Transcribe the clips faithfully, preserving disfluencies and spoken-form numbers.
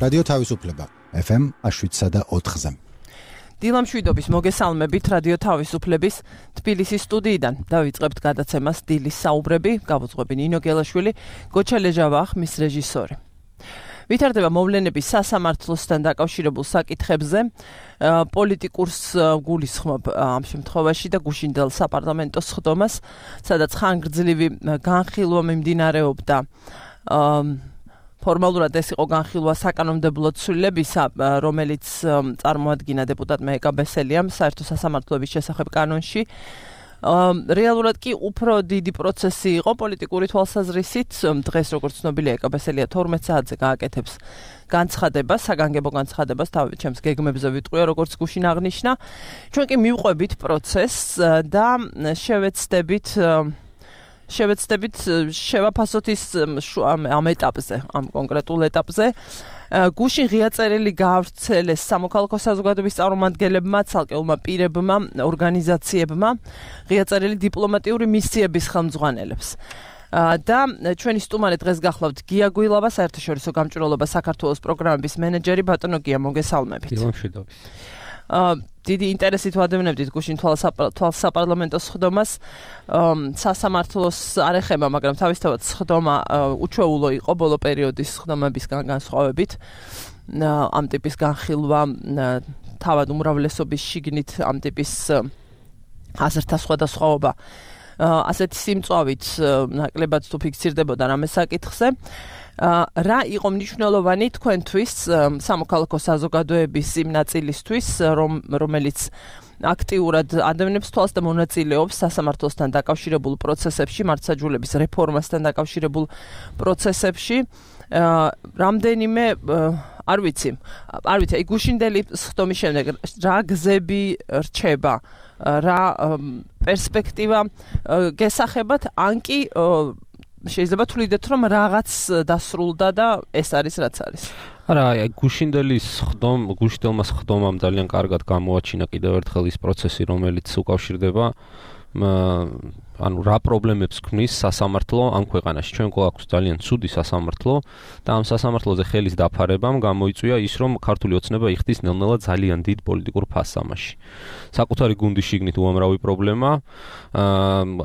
რადიო თავისუფლება ეფ ემ შვიდსა და ოთხზე. დილამ შვიდობის მოგესალმებით რადიო თავისუფლების თბილისის სტუდიიდან. დავიწყებთ გადაცემას დილის საუბრები, გავუძღვები ნინო გელაშვილი, გოჩა ლეჟავა ხმის რეჟისორი. ვითარდება მოვლენები სასამართლოსთან დაკავშირებულ საკითხებზე, პოლიტიკურს გულისხმობ ამ შემთხვევაში და გუშინდელ საპარლამენტო სხდომას, სადაც ხანგრძლივი განხილვა მიმდინარეობდა. ფორმალურად ეს იყო განხილვა საკანონმდებლო ცვლილებისა, რომელიც წარმოადგინა დეპუტატმა ეკა ბესელიამ საერთო სასამართლოების შესახებ კანონში. რეალურად კი უფრო დიდი პროცესი იყო პოლიტიკური თვალსაზრისით. დღეს როგორც ცნობილია ეკა ბესელია თორმეტ საათზე გააკეთებს განცხადებას, საგანგებო განცხადებას თავი ჩემს გეგმებზე ვიტყვია, როგორც გუშინ აღნიშნა. ჩვენ კი მივყვებით პროცესს და შევეცდებით შევეცდებით შევაფასოთ ის ამ ეტაპზე, ამ კონკრეტულ ეტაპზე. გუშინ ღია წერილი გაავრცელეს სამოქალაქო საზოგადოების წარმომადგენლებმა, ცალკეულმა პირებმა, ორგანიზაციებმა, ღია წერილი დიპლომატიური მისიების ხელმძღვანელებს. და ჩვენი სტუმარი დღეს გახლავთ გია გვილავა, საერთაშორისო გამჭვირვალობა საქართველოს პროგრამების მენეჯერი. ბატონო გია, მოგესალმებით. დილამშვიდობის. დიდი ინტერესით ვადევნებდით გუშინ თვალსაპარლამენტო სხდომას. სასამართლოს არ ეხება, მაგრამ თავისთავად სხდომა უჩვეულო იყო ბოლო პერიოდის სხდომებისგან განსხვავებით. ამ ტიპის განხილვა თავად უმრავლესობის შიგნით ამ ტიპის აზრთა სხვადასხვაობა ასეთი სიმწვავით ნაკლებად თუ ფიქსირდებოდა რამე საკითხზე. რა იყო მნიშვნელოვანი თქვენთვის სამოქალაქო საზოგადოების იმ ნაწილისთვის, რომელიც აქტიურად ადევნებს თვალს და მონაწილეობს სასამართლოსთან დაკავშირებულ პროცესებში, მართლმსაჯულების რეფორმასთან დაკავშირებულ პროცესებში. რამდენიმე არ ვიცი, არ ვიცი, აი გუშინდელი სხდომის შემდეგ რა გზები რჩება, რა პერსპექტივა გესახებათ, ან კი შეიძლება თვლიდეთ, რომ რაღაც დასრულდა და ეს არის რაც არის. არა, აი გუშინდელი სხდომ, გუშინდელმა სხდომამ ძალიან კარგად გამოაჩინა კიდევ ერთხელ ის პროცესი, რომელიც უკავშირდება ანუ რა პრობლემებს ქმნის სასამართლო ამ ქვეყანაში. ჩვენ გვაქვს ძალიან ცუდი სასამართლო და ამ სასამართლოზე ხელის დაფარებამ გამოიწვია ის, რომ ქართული ოცნება იხდის ნელ-ნელა ძალიან დიდ პოლიტიკურ ფასს ამაში. საკუთარი გუნდის შიგნით უამრავი პრობლემა,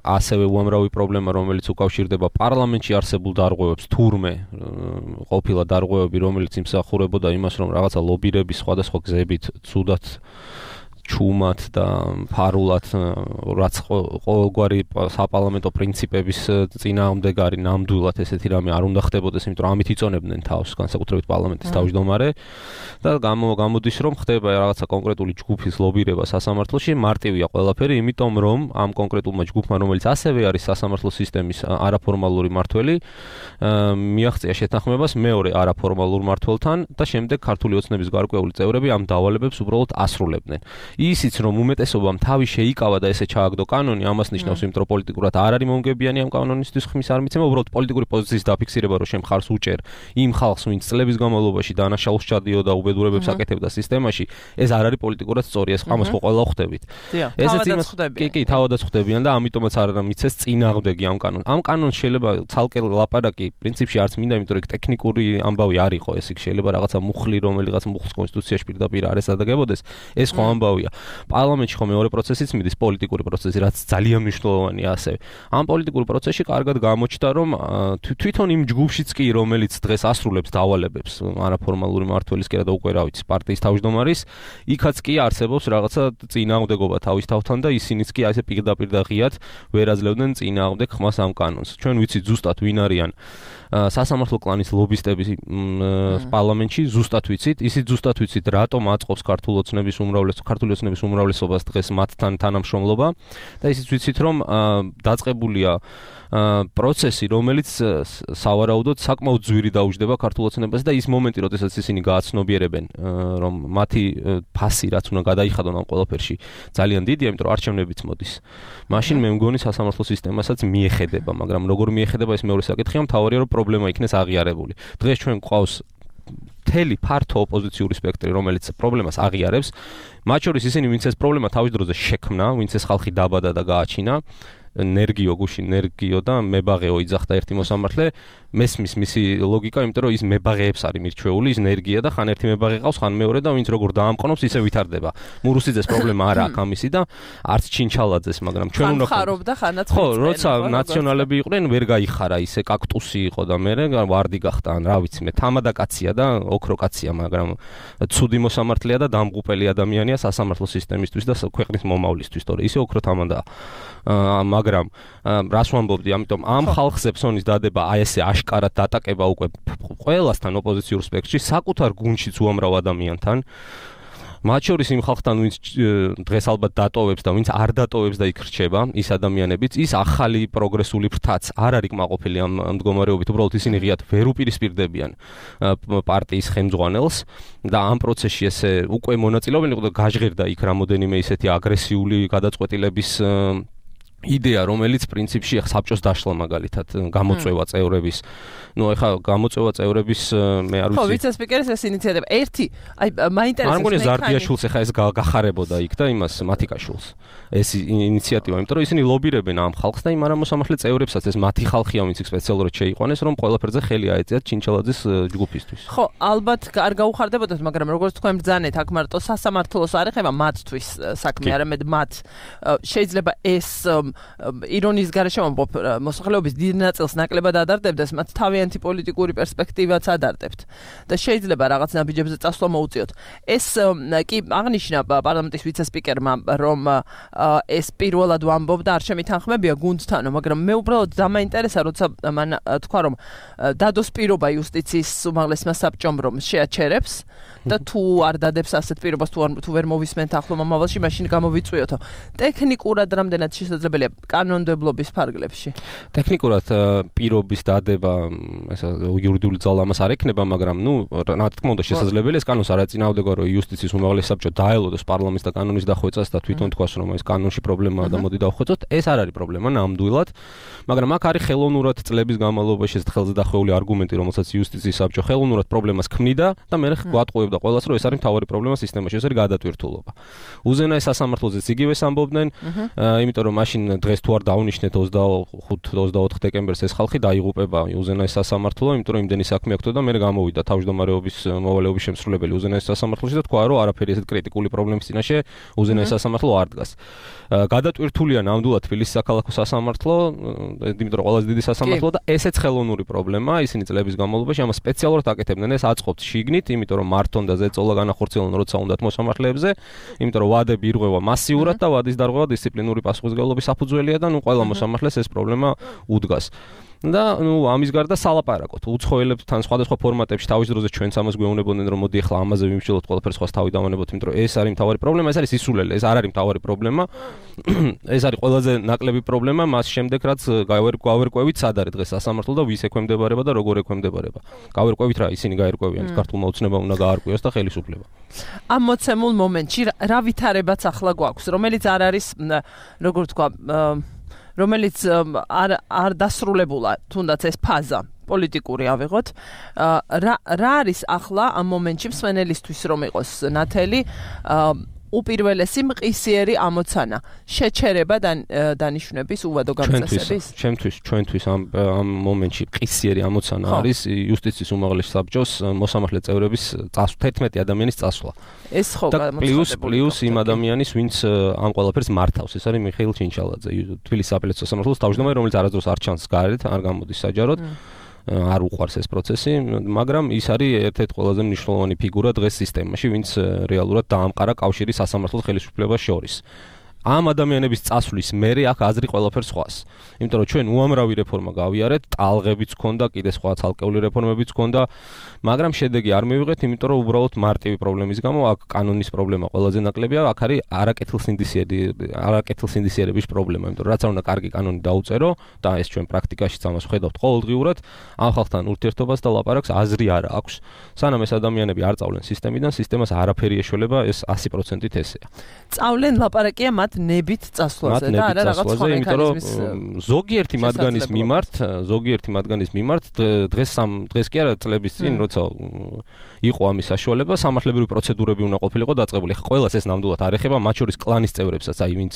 ასევე უამრავი პრობლემა, რომელიც უკავშირდება პარლამენტში არსებულ დარღვევებს, თურმე ყოფილა დარღვევები, რომელიც იმსახურებოდა იმას, რომ რაღაცა ლობირების სხვადასხვა გზებით ცუდად ჩუმად და ფარულად რაც ყოველგვარი საპარლამენტო პრინციპების წინააღმდეგარი ნამდვილად ესეთი რამე არ უნდა ხდებოდეს, იმიტომ რომ ამით იწონებდნენ თავს განსაკუთრებით პარლამენტის თავმჯდომარე და გამოდის რომ ხდება რაღაცა კონკრეტული ჯგუფის ლობირება სასამართლოში. მარტივია ყველაფერი, იმიტომ რომ ამ კონკრეტულმა ჯგუფმა, რომელიც ასევე არის სასამართლო სისტემის არაფორმალური მმართველი, მიაღწია შეთანხმებას მეორე არაფორმალურ მმართველთან და შემდეგ ქართული ოცნების გარკვეული წევრები ამ დავალებებს უბრალოდ ასრულებდნენ. ისიც რომ უმეტესობამ თავი შეიკავა და ესე ჩააგდო კანონი, ამას ნიშნავს, იმიტომ რომ პოლიტიკურად არ არის მომგებიანი ამ კანონისთვის ხმის არ მიცემა, უბრალოდ პოლიტიკური პოზიციის დაფიქსირება, რომ შენ მხარს უჭერ იმ ხალხს, ვინც წლების განმავლობაში დანაშაულს ჩადიოდა უბედურებებს აკეთებდა სისტემაში, ეს არ არის პოლიტიკურად სწორი, ეს ამას ხო ყველა ხვდებით. ესეც იმას ხვდებიან. კი, კი, თავადაც ხვდებიან და ამიტომაც არ მიცეს წინააღმდეგი ამ კანონს. ამ კანონს შეიძლება ცალკე ლაპარაკი პრინციპში არც მინდა, იმიტომ რომ ტექნიკური ამბავი არ იყო, ეს იქ შეიძლება რაღაცა მუხლი, რომელიღაც მუხლს კონსტიტუციაში პირდაპირ არ ესადაგებოდეს, ეს ხო ამბავია. პარლამენტში ხო მეორე პროცესიც მიდის, პოლიტიკური პროცესი, რაც ძალიან მნიშვნელოვანია ასევე. ამ პოლიტიკურ პროცესში კარგად გამოჩნდა, რომ თვითონ იმ ჯგუფშიც კი, რომელიც დღეს ასრულებს დავალებებს არაფორმალური მმართველისკენ და უკვე რა ვიცი, პარტიის თავმჯდომარის, იქაც კი არსებობს რაღაცა წინააღმდეგობა თავის თავთან და ისინიც კი ასე პირდაპირ და ღიად ვერ აძლევდნენ წინააღმდეგ ხმას ამ კანონს. ჩვენ ვიცით ზუსტად ვინ არიან სასამართლო კლანის ლობისტები პარლამენტში, ზუსტად ვიცით, ისიც ზუსტად ვიცით, რატომ აწყობს ქართული ოცნების უმრავლესობა, ქართული ოცნების უმრავლესობას დღეს მათთან თანამშრომლობა და ისიც ვიცით, რომ დაწყებულია პროცესი, რომელიც სავარაუდოდ საკმაოდ ძვირი დაუჯდება ქართულ ოცნებას და ის მომენტი, როდესაც ისინი გააცნობიერებენ, რომ მათი ფასი რაც უნდა გადაიხადონ ამ ყველაფერში ძალიან დიდია, იმიტომ რომ არჩევნებიც მოდის. მაშინ მე მგონი სასამართლო სისტემასაც მიეხედება, მაგრამ როგორ მიეხედება ეს მეორე საკითხია, მთავარია რომ პრობლემა იქნეს აღიარებული. დღეს ჩვენ გვყავს მთელი ფართო ოპოზიციური სპექტრი, რომელიც პრობლემას აღიარებს, მათ შორის ისინი, ვინც ეს პრობლემა თავის დროზე შექმნა, ვინც ეს ხალხი დაბადა და გააჩინა, ნერგიო გუშინ ნერგიო და მებაღეო იძახდა ერთი მოსამართლე, მესმის მისი ლოგიკა, იმიტომ რომ ის მებაღეებს არის მირჩეული, ის ენერგია და ხან ერთი მებაღე ყავს, ხან მეორე და ვინც როგორ დაამყნობს, ისე ვითარდება. მურუსიძეს პრობლემა არა აქვს ამისი და არც ჩინჩალაძეს, მაგრამ ჩვენ უნდა ხარობდა ხანაც ხო, როცა ნაციონალები იყვნენ, ვერ გაიხარა, ისე კაქტუსი იყო და მე ვარდი გახდა, ან რა ვიცი, მე თამადა კაცია და ოქრო კაცია, მაგრამ ცუდი მოსამართლეა და დამღუპელი ადამიანია სასამართლო სისტემისთვის და ქვეყნის მომავლისთვის, თორე ისე ოქრო თამადაა. მაგრამ რას ვამბობდი, ამიტომ ამ ხალხზე ფსონის დადება აი ესე აშკარად დატაკება უკვე ყველასთან ოპოზიციურ სპექტრში, საკუთარ გუნდშიც უამრავ ადამიანთან. მათ შორის იმ ხალხთან, ვინც დღეს ალბათ დატოვებს და ვინც არ დატოვებს და იქ რჩება, ის ადამიანებიც, ის ახალი პროგრესული ფრთაც არ არის კმაყოფილი ამ მდგომარეობით, უბრალოდ ისინი ღიად ვერ უპირისპირდებიან პარტიის ხელმძღვანელს და ამ პროცესში ესე უკვე მონაწილეობენ, იყო და გაჟღერდა იქ რამოდენიმე ისეთი აგრესიული გადაწყვეტილების იდეა, რომელიც პრინციპში ახ საბჭოს დაშლა მაგალითად გამოწვევა წევრების. ნუ ეხა გამოწვევა წევრების მე არ ვიცი. ხო, ვიცე-სპიკერის ეს ინიციატივა. ერთი, აი მაინტერესებს მე. არ მგონია ზარდიაშვილს ეხა ეს გახარებოდა იქ და იმას მათიკაშვილს. ეს ინიციატივა, იმიტომ რომ ისინი ლობირებენ ამ ხალხს და იმ არამოსამართლე წევრებსაც ეს მათი ხალხია, ვინც იქ სპეციალურად შეიყვანეს, რომ ყველაფერზე ხელი აეწიათ ჩინჩალაძის ჯგუფისთვის. ხო, ალბათ არ გაუხარდებოდათ, მაგრამ როგორც თქვენ ბრძანეთ, აქ მარტო სასამართლოს არ ეხება მათთვის საქმე, არამედ მათ შეიძლება ეს ირონიის გარეშე ვამბობ, მოსახლეობის დიდ ნაწილს ნაკლებად ადარდებდეს, მათ თავიანთი პოლიტიკური პერსპექტივაც ადარდებთ და შეიძლება რაღაც ნაბიჯებზე წასვლა მოუწიოთ. ეს კი აღნიშნა პარლამენტის ვიცე-სპიკერმა, რომ ეს პირველად ვამბობდა, არ შემითანხმებია გუნდთანო, მაგრამ მე უბრალოდ დამაინტერესა, როცა მან თქვა, რომ დადოს პირობა იუსტიციის უმაღლესმა საბჭომ, რომ შეაჩერებს და თუ არ დადებს ასეთ პირობას, თუ თუ ვერ მოვისმენთ ახლო მომავალში, მაშინ გამოვიწვიოთო. ტექნიკურად რამდენად შესაძლებელია კანონმდებლობის ფარგლებში? ტექნიკურად პირობის დადება, ესა იურიდიული ძალა ამას არ ექნება, მაგრამ ნუ რა თქმა უნდა შესაძლებელია, ეს კანონს არ აწინააღმდეგა, რომ იუსტიციის უმაღლესი საბჭო დაელოდოს პარლამენტს და კანონის დახვეწას და თვითონ თქვას, რომ ეს კანონში პრობლემაა და მოდი დავხვეწოთ, ეს არ არის პრობლემა ნამდვილად, მაგრამ აქ არის ხელოვნურად წლების განმავლობაში ეს ხელზე დახვეული არგუმენტი, რომელსაც იუსტიციის საბჭო ხელოვნურად პრობლემას ქმნიდა და მე გვატყუებდა ყველას, რომ ეს არის მთავარი პრობლემა სისტემაში, ეს არის გადატვირთულობა. უზენაეს სასამართლოზეც იგივეს ამბობდნენ, იმიტომ რომ მაშინ დღეს თუ არ დაუნიშნეთ ოცდახუთი ოცდაოთხი დეკემბერს ეს ხალხი დაიღუპება უზენაეს სასამართლო, იმიტომ რომ იმდენი საქმე აქვს და მე გამოვიდა თავმჯდომარეობის მოვალეობის შემსრულებელი უზენაეს სასამართლოში და თქვა, რომ არაფერი ესეთ კრიტიკული პრობლემის წინაშე უზენაეს სასამართლო არ დგას. გადატვირთულია ნამდვილად თბილისის საქალაქო სასამართლო, იმიტომ რომ ყველაზე დიდი სასამართლო და ესეც ხელოვნური პრობლემაა, ისინი წლების განმავლობაში ამას სპეციალურად აკეთებდნენ, ეს აწყობთ შიგნით, იმიტომ რომ მართონ და ზეწოლა განახორციელონ როცა უნდათ მოსამართლეებზე, იმიტომ რომ ვადები ირღვევა მასიურად და ვადის დარღვევა დისციპლინური პასუხისმგებლობის საფუძველია და ნუ ყველა მოსამართლეს ეს პრობლემა უდგას. და ნუ ამის გარდა სალაპარაკოთ. უცხოელებთან სხვადასხვა ფორმატებში თავის დროზე ჩვენც ამას გვეუბნებოდნენ, რომ მოდი ახლა ამაზე ვიმსჯელოთ, ყველაფერს სხვას თავი დავანებოთ, იმიტომ რომ ეს არის მთავარი პრობლემა, ეს არის სისულელე, ეს არ არის მთავარი პრობლემა. ეს არის ყველაზე ნაკლები პრობლემა, მას შემდეგ რაც გავერკვევით, სად არის დღეს სასამართლო და ვის ექვემდებარება და როგორ ექვემდებარება. გავერკვევით რა, ისინი გაერკვევიან, ქართულმა ოცნებამ უნდა გაარკვიოს და ხელისუფლება. ამ მოცემულ მომენტში რა ვითარებაც ახლა გვაქვს, რომელიც არ არის, როგორ თქვა, რომელიც არ არ დასრულებულა, თუნდაც ეს ფაზა პოლიტიკური ავიღოთ. რა რა არის ახლა ამ მომენტში მსვენელისთვის რომ იყოს ნათელი უპირველესი მყისიერი ამოცანა, შეჩერება დანიშნების უვადო გამწესების? ჩემთვის, ჩვენთვის ამ ამ მომენტში მყისიერი ამოცანა არის იუსტიციის უმაღლესი საბჭოს მოსამართლე წევრების წასვლა, თერთმეტი ადამიანის წასვლა. ეს ხო პლუს პლუს იმ ადამიანის, ვინც ამ ყველაფერს მართავს, ეს არის მიხეილ ჩინჩალაძე, თბილისის აპელაციო სასამართლოს თავმჯდომარე, რომელიც არასდროს არ ჩანს გარეთ, არ გამოდის საჯაროდ. არ უყვარს ეს პროცესი, მაგრამ ის არის ერთ-ერთი ყველაზე მნიშვნელოვანი ფიგურა დღეს სისტემაში, ვინც რეალურად დაამყარა კავშირი სასამართლოს ხელისუფლებას შორის. ამ ადამიანების წასვლის მერე აქ აზრი ყველაფერს სხვას. იმიტომ რომ ჩვენ უამრავი რეფორმა გავიარეთ, ტალღებიც ჰქონდა, კიდე სხვა ცალკეული რეფორმებიც ჰქონდა, მაგრამ შედეგი არ მივიღეთ, იმიტომ რომ უბრალოდ მარტივი პრობლემის გამო აქ კანონის პრობლემა ყველაზე ნაკლებია, აქ არის არაკეთილსინდისიერი, არაკეთილსინდისიერების პრობლემა, იმიტომ რომ რაც არ უნდა კარგი კანონი დაუწერო და ეს ჩვენ პრაქტიკაშიც ამას ვხედავთ ყოველდღიურად, ამ ხალხთან ურთიერთობას და ლაპარაკს აზრი არ აქვს. სანამ ეს ადამიანები არ წავლენ სისტემიდან, სისტემას არაფერი ეშველება, ეს ასი პროცენტით ესეა. წავლენ ლაპარაკია მათ ნებით წასვლაზე და არა რაღაც სხვა მექანიზმის ზოგიერთი მათგანის მიმართ, ზოგიერთი მათგანის მიმართ დღეს დღეს კი არა წლების წინ როცა იყო ამის საშუალება, სამართლებრივი პროცედურები უნდა ყოფილიყო დაწყებული. ხა ყველას ეს ნამდვილად არ ეხება, მათ შორის კლანის წევრებსაც, აი ვინც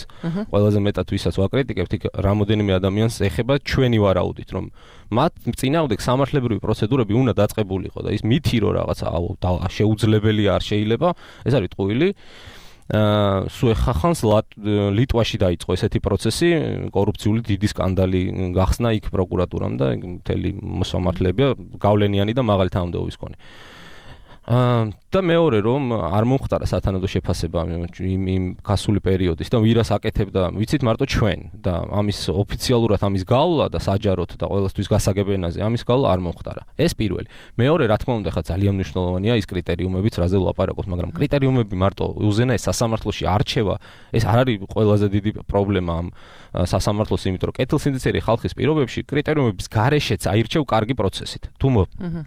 ყველაზე მეტად ვისაც ვაკრიტიკებთ, იქ რამოდენიმე ადამიანს ეხება ჩვენი ვარაუდით, რომ მათ წინააღმდეგ სამართლებრივი პროცედურები უნდა დაწყებულიყო და ის მითი რომ რაღაცა შეუძლებელი არ შეიძლება, ეს არის ტყუილი. აა სულ ხახანს ლიტვაში დაიწყო ესეთი პროცესი, კორუფციული დიდი სკანდალი გახსნა იქ პროკურატურამ და მთელი მოსამართლეები გავლენიანი და მაღალი თანამდებობის მქონე. აა და მეორე რომ არ მომხდარა სათანადო შეფასება იმ იმ გასული პერიოდის და ვირას აკეთებდა, ვიცით მარტო ჩვენ და ამის ოფიციალურად ამის გავლა და საჯაროდ და ყოველთვის გასაგებ ენაზე ამის გავლა არ მომხდარა. ეს პირველი. მეორე რა თქმა უნდა ხა ძალიან მნიშვნელოვანია ის კრიტერიუმებიც, რაზე ვლაპარაკობთ, მაგრამ კრიტერიუმები მარტო უზენაეს სასამართლოში არჩევა, ეს არ არის ყველაზე დიდი პრობლემა ამ სასამართლოს, იმიტომ რომ კეთილსინდისიერი ხალხის პირობებში კრიტერიუმების გარეშეც აირჩევ კარგი პროცესით. თუ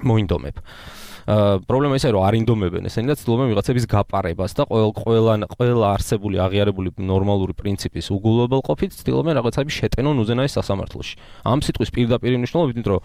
მოინდომებ. აა პრობლემა ისაა რომ არ ინდომებენ ესენი და ცდილობენ ვიღაცების გაპარებას და ყოველ ყველა ყველა არსებული აღიარებული ნორმალური პრინციპის უგულობელ ყოფით ცდილობენ რაღაცები შეტენონ უზენაეს სასამართლოში. ამ სიტყვის პირდაპირ მნიშვნელობით, იმიტომ რომ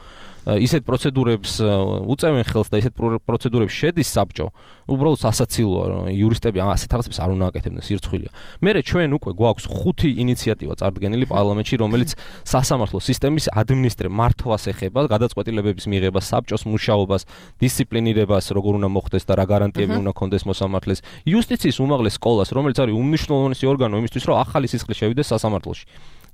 ისეთ პროცედურებს უწევენ ხელს და ისეთ პროცედურებს შედის საბჭო, უბრალოდ სასაცილოა რომ იურისტები ასეთ რაღაცებს არ უნდა აკეთებდნენ, სირცხვილია. მერე ჩვენ უკვე გვაქვს ხუთი ინიციატივა წარდგენილი პარლამენტში, რომელიც სასამართლო სისტემის ადმინისტრირებას მართვას ეხება, გადაწყვეტილებების მიღებას, საბჭოს მუშაობას, დისციპლინირებას, როგორ უნდა მოხდეს და რა გარანტიები უნდა ქონდეს მოსამართლეს, იუსტიციის უმაღლეს სკოლას, რომელიც არის უმნიშვნელოვანესი ორგანო იმისთვის, რომ ახალი სისხლი შევიდეს სასამართლოში.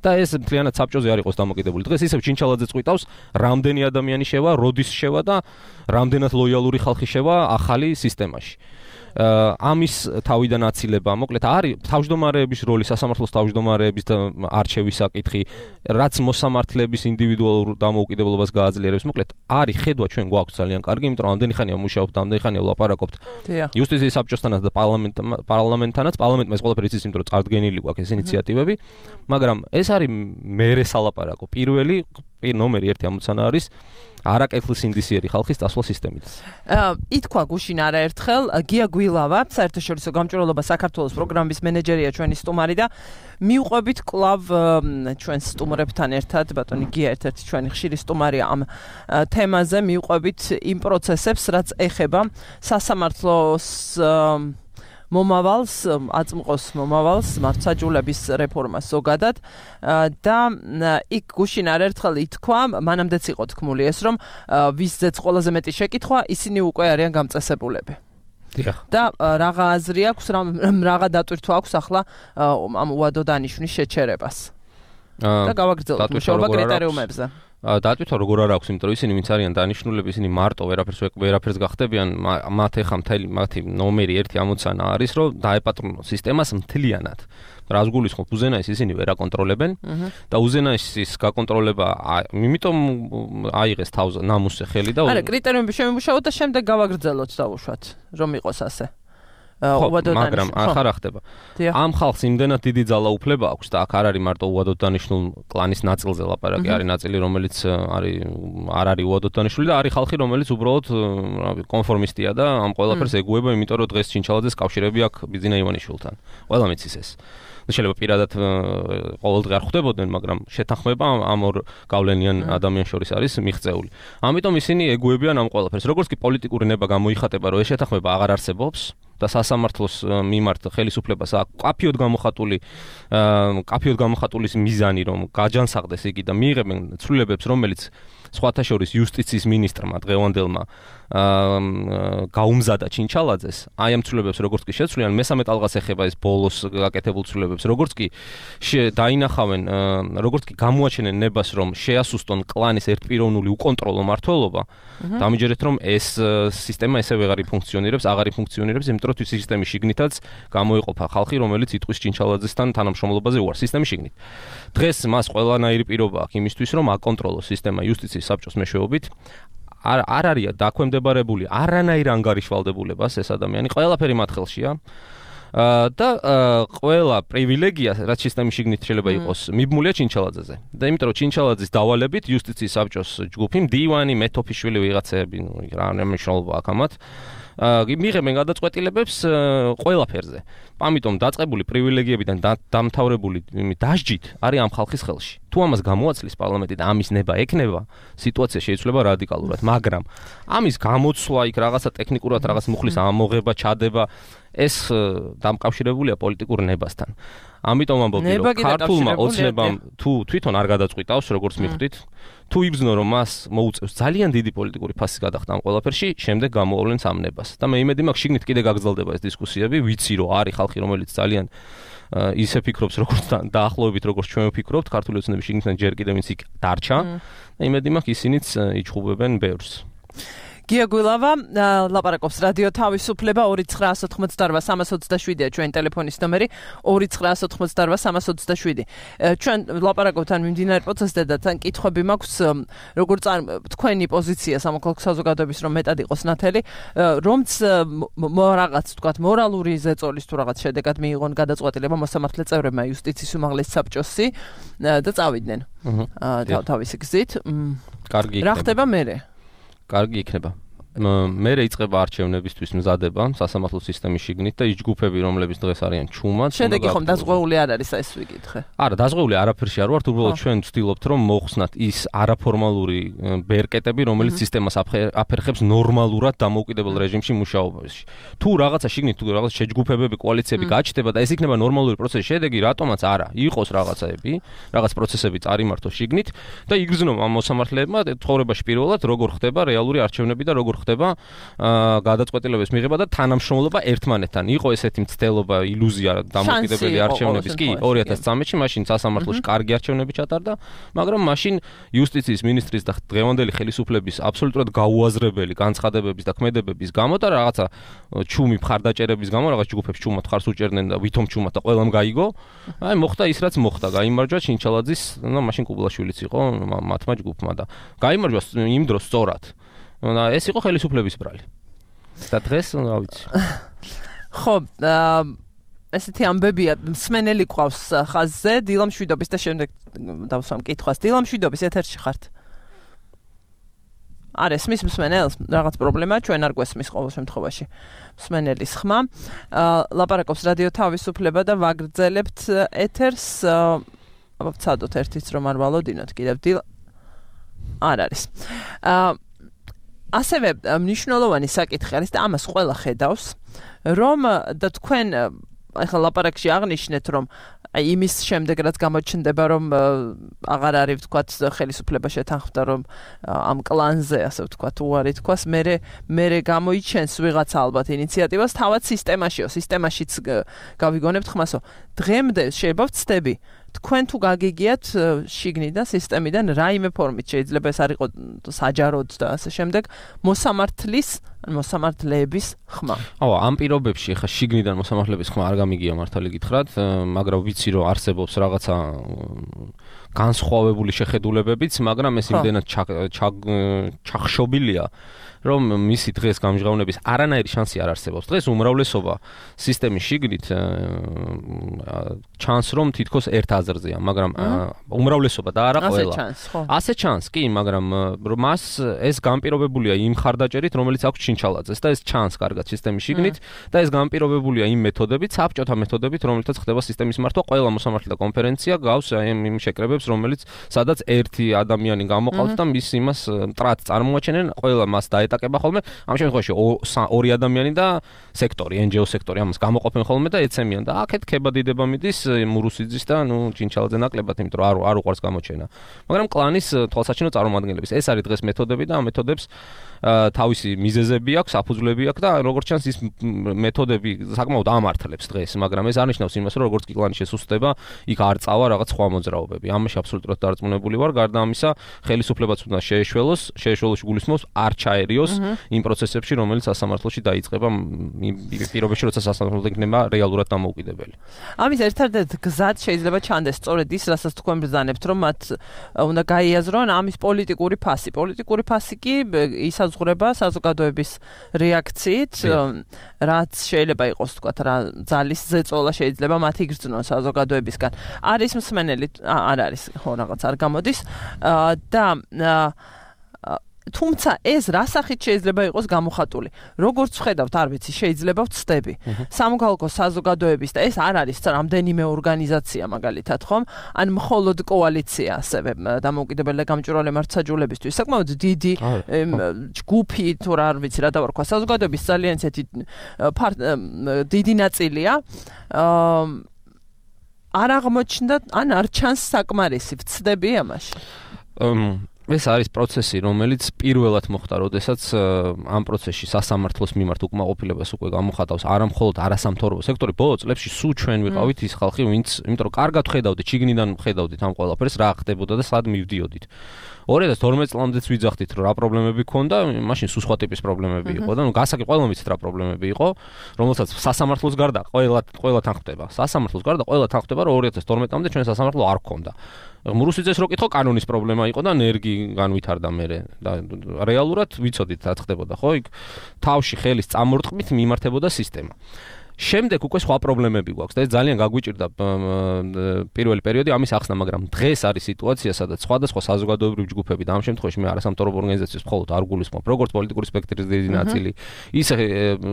და ეს მთლიანად საბჭოზე არ იყოს დამოკიდებული. დღეს ისევ ჩინჩალაძე წვიტავს, რამდენი ადამიანი შევა, როდის შევა და რამდენად ლოიალური ხალხი შევა ახალი სისტემაში. ამის თავიდან აცილება, მოკლედ არის თავმჯდომარეების როლი, სასამართლოს თავმჯდომარეების და არჩევის საკითხი, რაც მოსამართლეების ინდივიდუალურ დამოუკიდებლობას გააძლიერებს. მოკლედ არის ხედვა ჩვენ გვაქვს ძალიან კარგი, იმიტომ რომ ამდენი ხანია მუშაობთ, ამდენი ხანია ვლაპარაკობთ იუსტიციის საბჭოსთანაც და პარლამენტთანაც, პარლამენტმა ეს ყველაფერი იცის, იმიტომ რომ წარდგენილი გვაქვს ეს ინიციატივები, მაგრამ ეს არის მერე სალაპარაკო. პირველი ნომერი ერთი ამოცანა არის არაკეთილსინდისიერი ხალხის წასვლა სისტემით. ითქვა გუშინ არაერთხელ გია გვილავა, საერთაშორისო გამჭვირვალობა საქართველოს პროგრამის მენეჯერია ჩვენი სტუმარი და მიუყვებით კლავ ჩვენ სტუმრებთან ერთად, ბატონი გია ერთ-ერთი ჩვენი ხშირი სტუმარია ამ თემაზე, მიუყვებით იმ პროცესებს, რაც ეხება სასამართლოს მომავალს, აწმყოს მომავალს, მართლმსაჯულების რეფორმას ზოგადად და იქ გუშინ არაერთხელ ითქვა, მანამდეც იყო თქმული ეს, რომ ვისზეც ყველაზე მეტი შეკითხვა, ისინი უკვე არიან გამწესებულები. და რაღა აზრი აქვს, რაღა დატვირთვა აქვს ახლა ამ უადო დანიშვნის შეჩერებას. და გავაგრძელოთ მუშაობა კრიტერიუმებზე. დატვირთვა როგორ არ აქვს, იმიტომ რომ ისინი ვინც არიან დანიშნულები, ისინი მარტო ვერაფერს ვერაფერს გახდებიან, მათ ეხა მთელი მათი ნომერი ერთი ამოცანა არის, რომ დაეპატრონოს სისტემას მთლიანად. რას გულისხმობ, უზენაეს ისინი ვერ აკონტროლებენ და უზენაესის გაკონტროლება, იმიტომ აიღეს თავზე ნამუსზე ხელი და არა, კრიტერიუმები შემიმუშავოთ და შემდეგ გავაგრძელოთ დავუშვათ, რომ იყოს ასე. მაგრამ ახლა რა ხდება? ამ ხალხს იმდენად დიდი ძალაუფლება აქვს და აქ არ არის მარტო უადოდ დანიშნულ კლანის ნაწილზე ლაპარაკი, არის ნაწილი, რომელიც არის არ არის უადოდ დანიშნული და არის ხალხი, რომელიც უბრალოდ კონფორმისტია და ამ ყველაფერს ეგუება, იმიტომ რომ დღეს ჩინჩალაძეს კავშირები აქვს ბიძინა ივანიშვილთან. ყველა მიცის ეს. შეიძლება პირადად ყოველდღე არ ხვდებოდნენ, მაგრამ შეთანხმება ამ ორ გავლენიან ადამიანს შორის არის მიღწეული. ამიტომ ისინი ეგუებიან ამ ყველაფერს. როგორც კი პოლიტიკური ნება გამოიხატება, რომ ეს შეთანხმება აღარ არსებობს და სასამართლოს მიმართ ხელისუფლებას აქვს კაფიოდ გამოხატული კაფიოდ გამოხატული მიზანი, რომ გაჯანსაღდეს იგი და მიიღებენ ცვლილებებს, რომელიც სხვათა შორის იუსტიციის მინისტრმა დღევანდელმა გაუმზადა ჩინჩალაძეს, აი ამ ცვლილებებს როგორც კი შეცვლიან, მესამე ტალღას ეხება ეს ბოლოს გაკეთებულ ცვლილებებს, როგორც კი დაინახავენ, როგორც კი გამოაჩენენ ნებას, რომ შეასუსტონ კლანის ერთპიროვნული უკონტროლო მმართველობა, დამიჯერეთ, რომ ეს სისტემა ესე ვეღარ ფუნქციონირებს, აღარ ფუნქციონირებს, იმიტომ რომ სისტემის შიგნითაც გამოიყოფა ხალხი, რომელიც იტყვის ჩინჩალაძესთან თანამშრომლობაზე უარს სისტემის შიგნით. დღეს მას ყველანაირი პირობა აქვს იმისთვის, რომ აკონტროლოს სისტემა იუსტიციის საბჭოს მეშვეობით. არ არ არის დაქვემდებარებული არანაირ ანგარიშვალდებულებას ეს ადამიანი, ყველაფერი მათ ხელშია. და ყველა პრივილეგია, რაც სისტემის შიგნით შეიძლება იყოს, მიბმულია ჩინჩალაძეზე. და იმიტომ რომ ჩინჩალაძის დავალებით იუსტიციის საბჭოს ჯგუფი, მდივანი, მეთოფიშვილი ვიღაცები, რა მნიშვნელობა აქვს ამათ. მიღებენ გადაწყვეტილებებს ყველაფერზე. ამიტომ დაწყებული პრივილეგიებიდან დამთავრებული დასჯით არის ამ ხალხის ხელში. თუ ამას გამოაცლის პარლამენტი და ამის ნება ექნება, სიტუაცია შეიცვლება რადიკალურად, მაგრამ ამის გამოცვლა იქ რაღაცა ტექნიკურად რაღაც მუხლის ამოღება, ჩადება, ეს დამკავშირებულია პოლიტიკურ ნებასთან. ამიტომ ამბობ, რომ ქართულმა ოცნებამ თუ თვითონ არ გადაწყვიტავს, როგორც მიხვდით, თუ იგრძნო რომ მას მოუწევს ძალიან დიდი პოლიტიკური ფასი გადახდა ამ ყველაფერში, შემდეგ გამოავლენს ამ ნებას. და მე იმედი მაქვს, შიგნით კიდე გაგრძელდება ეს დისკუსიები, ვიცი რომ არის ხალხი, რომელიც ძალიან ისე ფიქრობს, როგორც დაახლოებით როგორც ჩვენ ვფიქრობთ, ქართული ოცნების შიგნიდან ჯერ კიდევ ვინც იქ დარჩა. და იმედი მაქვს, ისინიც იჩხუბებენ ბევრს. გია გვილავა ლაპარაკობს რადიო თავისუფლება ორი ცხრა ოთხმოცდაოთხ სამას ოცდაშვიდია ჩვენ ტელეფონის ნომერი ორი ცხრა ოთხმოცდაოთხ სამას ოცდაშვიდი. ჩვენ ლაპარაკობთ ან მიმდინარე პროცესზე და თან კითხვები მაქვს როგორ წარ თქვენი პოზიცია სამოქალაქო საზოგადოების რომ მეტად იყოს ნათელი რომც რაღაც თქვათ მორალური ზეწოლის თუ რაღაც შედეგად მიიღონ გადაწყვეტილება მოსამართლე წევრებმა იუსტიციის უმაღლეს საბჭოსი და წავიდნენ თავისი გზით. კარგი იქნება. რა ხდება მერე? კარგი იქნება. მერე იწყება არჩევნებისთვის მზადება სასამართლო სისტემის შიგნით და ის ჯგუფები, რომლებიც დღეს არიან ჩუმად, შედეგი ხომ დაზღვეული არ არის ეს ვიკითხე. არა, დაზღვეული არაფერში არ ვართ, უბრალოდ ჩვენ ვცდილობთ რომ მოხსნათ ის არაფორმალური ბერკეტები, რომელიც სისტემას აფერხებს ნორმალურად დამოუკიდებელ რეჟიმში მუშაობაში. თუ რაღაცა შიგნით თუ რაღაც შეჯგუფებები, კოალიციები გაჩნდება და ეს იქნება ნორმალური პროცესის შედეგი, რატომაც არა, იყოს რაღაცაები, რაღაც პროცესები წარიმართოს შიგნით და იგრძნო ამ მოსამართლეებმა ცხოვრებაში პირველად როგორ ხდება რეალური არჩევნები და როგორ ხდება გადაწყვეტილების მიღება და თანამშრომლობა ერთმანეთთან. იყო ესეთი მცდელობა, ილუზია დამოუკიდებელი არჩევნების, კი, ორი ათას წამეთში მაშინ სასამართლოში კარგი არჩევნები ჩატარდა, მაგრამ მაშინ იუსტიციის მინისტრის და დღევანდელი ხელისუფლების აბსოლუტურად გაუაზრებელი განცხადებების და ქმედებების გამო და რაღაცა ჩუმი მხარდაჭერების გამო რაღაც ჯგუფებს ჩუმად ხარს უჭერდნენ და ვითომ ჩუმად და ყველამ გაიგო. აი მოხდა ის რაც მოხდა, გაიმარჯვა ჩინჩალაძის, ну მაშინ კუბლაშვილიც იყო მათმა ჯგუფმა და გაიმარჯვა იმ დროს სწორად. და ეს იყო ხელისუფლების ბრალი. და დღეს რა ვიცი. ხო, ესეთი ამბებია, მსმენელი ყავს ხაზზე, დილამშვიდობის და შემდეგ დავსვამ კითხვას. დილამშვიდობის ეთერში ხართ. არ ესმის მსმენელს, რაღაც პრობლემაა, ჩვენ არ გვესმის ყოველ შემთხვევაში. მსმენელის ხმა. ლაპარაკობს რადიო თავისუფლება და ვაგრძელებთ ეთერს. აბა ვცადოთ ერთიც რომ არ ვალოდინოთ კიდევ დილ არ არის. აა ასევე მნიშვნელოვანი საკითხი არის და ამას ყველა ხედავს, რომ და თქვენ ახლა ლაპარაკში აღნიშნეთ, რომ იმის შემდეგ რაც გამოჩნდება, რომ აღარ არის ვთქვათ ხელისუფლება შეთანხმდა, რომ ამ კლანზე, ასე ვთქვათ, უარი თქვას, მერე მერე გამოიჩენს ვიღაცა ალბათ ინიციატივას თავად სისტემაშიო, სისტემაშიც გავიგონებთ ხმასო. დღემდე შეიძლება ვცდები თქვენ თუ გაგიგიათ შიგნიდან სისტემიდან რაიმე ფორმით შეიძლება ეს არ იყოს საჯაროდ და ასე შემდეგ მოსამართლის მოსამართლეების ხმა. აუ ამ პირობებში ხა შიგნიდან მოსამართლეების ხმა არ გამიგია მართალი გითხრათ, მაგრამ ვიცი რომ არსებობს რაღაცა განსხვავებული შეხედულებებიც, მაგრამ ეს იმდენად ჩახშობილია რომ მისი დღეს გამჟღავნების არანაირი შანსი არ არსებობს. დღეს უმრავლესობა სისტემის შიგნით ჩანს რომ თითქოს ერთ აზრზეა, მაგრამ უმრავლესობა და არა ყველა. ასე ჩანს, კი, მაგრამ მას ეს განპირობებულია იმ ხარდაჭერით, რომელიც აქვს ჩინჩალაძეს და ეს ჩანს კარგად სისტემის შიგნით და ეს განპირობებულია იმ მეთოდებით, საბჭოთა მეთოდებით, რომელთაც ხდება სისტემის მართვა. ყველა მოსამართლე და კონფერენცია გავს იმ შეკრებებს, რომელიც სადაც ერთი ადამიანი გამოყავს და მის იმას მტრად წარმოაჩენენ, ყველა მას დაეტაკება ხოლმე. ამ შემთხვევაში ორი ადამიანი და სექტორი, ენ ჯი ო სექტორი ამას გამოყოფენ ხოლმე და ეცემიან და აქეთ ქებადიდება მიდის მურუსიძის და ნუ ჩინჩალაძე ნაკლებად, იმიტომ რომ არ არ უყარს გამოჩენა. მაგრამ კლანის თვალსაჩინო წარმომადგენლების ეს არის დღეს მეთოდები და ამ მეთოდებს თავისი მიზეზები აქვს, საფუძვლები აქვს და როგორც ჩანს ის მეთოდები საკმაოდ ამართლებს დღეს, მაგრამ ეს არნიშნავს იმას, რომ როგორც კი კლანი შესუსტდება, იქ არ წავა რაღაც სხვა მოძრაობები. ამაში აბსოლუტურად დარწმუნებული ვარ, გარდა ამისა, ხელისუფლებაც უნდა შეეშველოს, შეეშველოში გულისხმობს, არ ჩაერიოს იმ პროცესებში, რომელიც სასამართლოში დაიწყება იმ პირობებში, როცა სასამართლო იქნება რეალურად დამოუკიდებელი. ამის ერთადერთი გზად შეიძლება ჩანდეს სწორედ ის, რასაც თქვენ ბრძანებთ, რომ მათ უნდა გაიაზრონ ამის პოლიტიკური ფასი. პოლიტიკური ფასი კი ისაზღვრება საზოგადოების რეაქციით, რაც შეიძლება იყოს, თქვათ, რა ძალის ზეწოლა შეიძლება მათ იგრძნონ საზოგადოებისგან. არის მსმენელი, არ არის, ხო, რაღაც არ გამოდის და თუმცა ეს რა სახით შეიძლება იყოს გამოხატული? როგორც ვხედავთ, არ ვიცი, შეიძლება ვწდები. სამოქალაქო საზოგადოების და ეს არ არის რამდენიმე ორგანიზაცია მაგალითად, ხომ? ან მხოლოდ კოალიცია ასევე დამოუკიდებელი და გამჭვირვალე მართლმსაჯულებისთვის. საკმაოდ დიდი ჯგუფი თუ რა არ ვიცი რა დავარქვა, საზოგადოების ძალიან ისეთი დიდი ნაწილია. არ აღმოჩნდა, ან არ ჩანს საკმარისი, ვწდები ამაში. ეს არის პროცესი, რომელიც პირველად მოხდა, როდესაც ამ პროცესში სასამართლოს მიმართ უკმაყოფილებას უკვე გამოხატავს არა მხოლოდ არასამთავრობო სექტორი, ბოლო წლებში სულ ჩვენ ვიყავით ის ხალხი, ვინც, იმიტომ რომ კარგად ხედავდით, შიგნიდან ხედავდით ამ ყველაფერს, რა ხდებოდა და სად მივდიოდით. ორი ათას თორმეტ წლამდეც ვიძახდით, რომ რა პრობლემები ქონდა, მაშინ სულ სხვა ტიპის პრობლემები იყო და ნუ გასაგები ყველამ ვიცით რა პრობლემები იყო, რომელსაც სასამართლოს გარდა ყველა ყველა თან ხდება. სასამართლოს გარდა ყველა თან ხდება, რომ ორი ათას თორმეტამდე ჩვენ სასამართლო არ ქონდა. მურუსიძეს რო კითხო, კანონის პრობლემა იყო და ნერგი განვითარდა მერე და რეალურად ვიცოდით რა ხდებოდა, ხო? იქ თავში ხელის წამორტყმით მიმართებოდა სისტემა. შემდეგ უკვე სხვა პრობლემები გვაქვს და ეს ძალიან გაგვიჭირდა პირველი პერიოდი ამის ახსნა, მაგრამ დღეს არის სიტუაცია, სადაც სხვადასხვა საზოგადოებრივი ჯგუფები და ამ შემთხვევაში მე არასამთავრობო ორგანიზაციებს მხოლოდ არ გულისხმობ, როგორც პოლიტიკური სპექტრის დიდი ნაწილი, ისე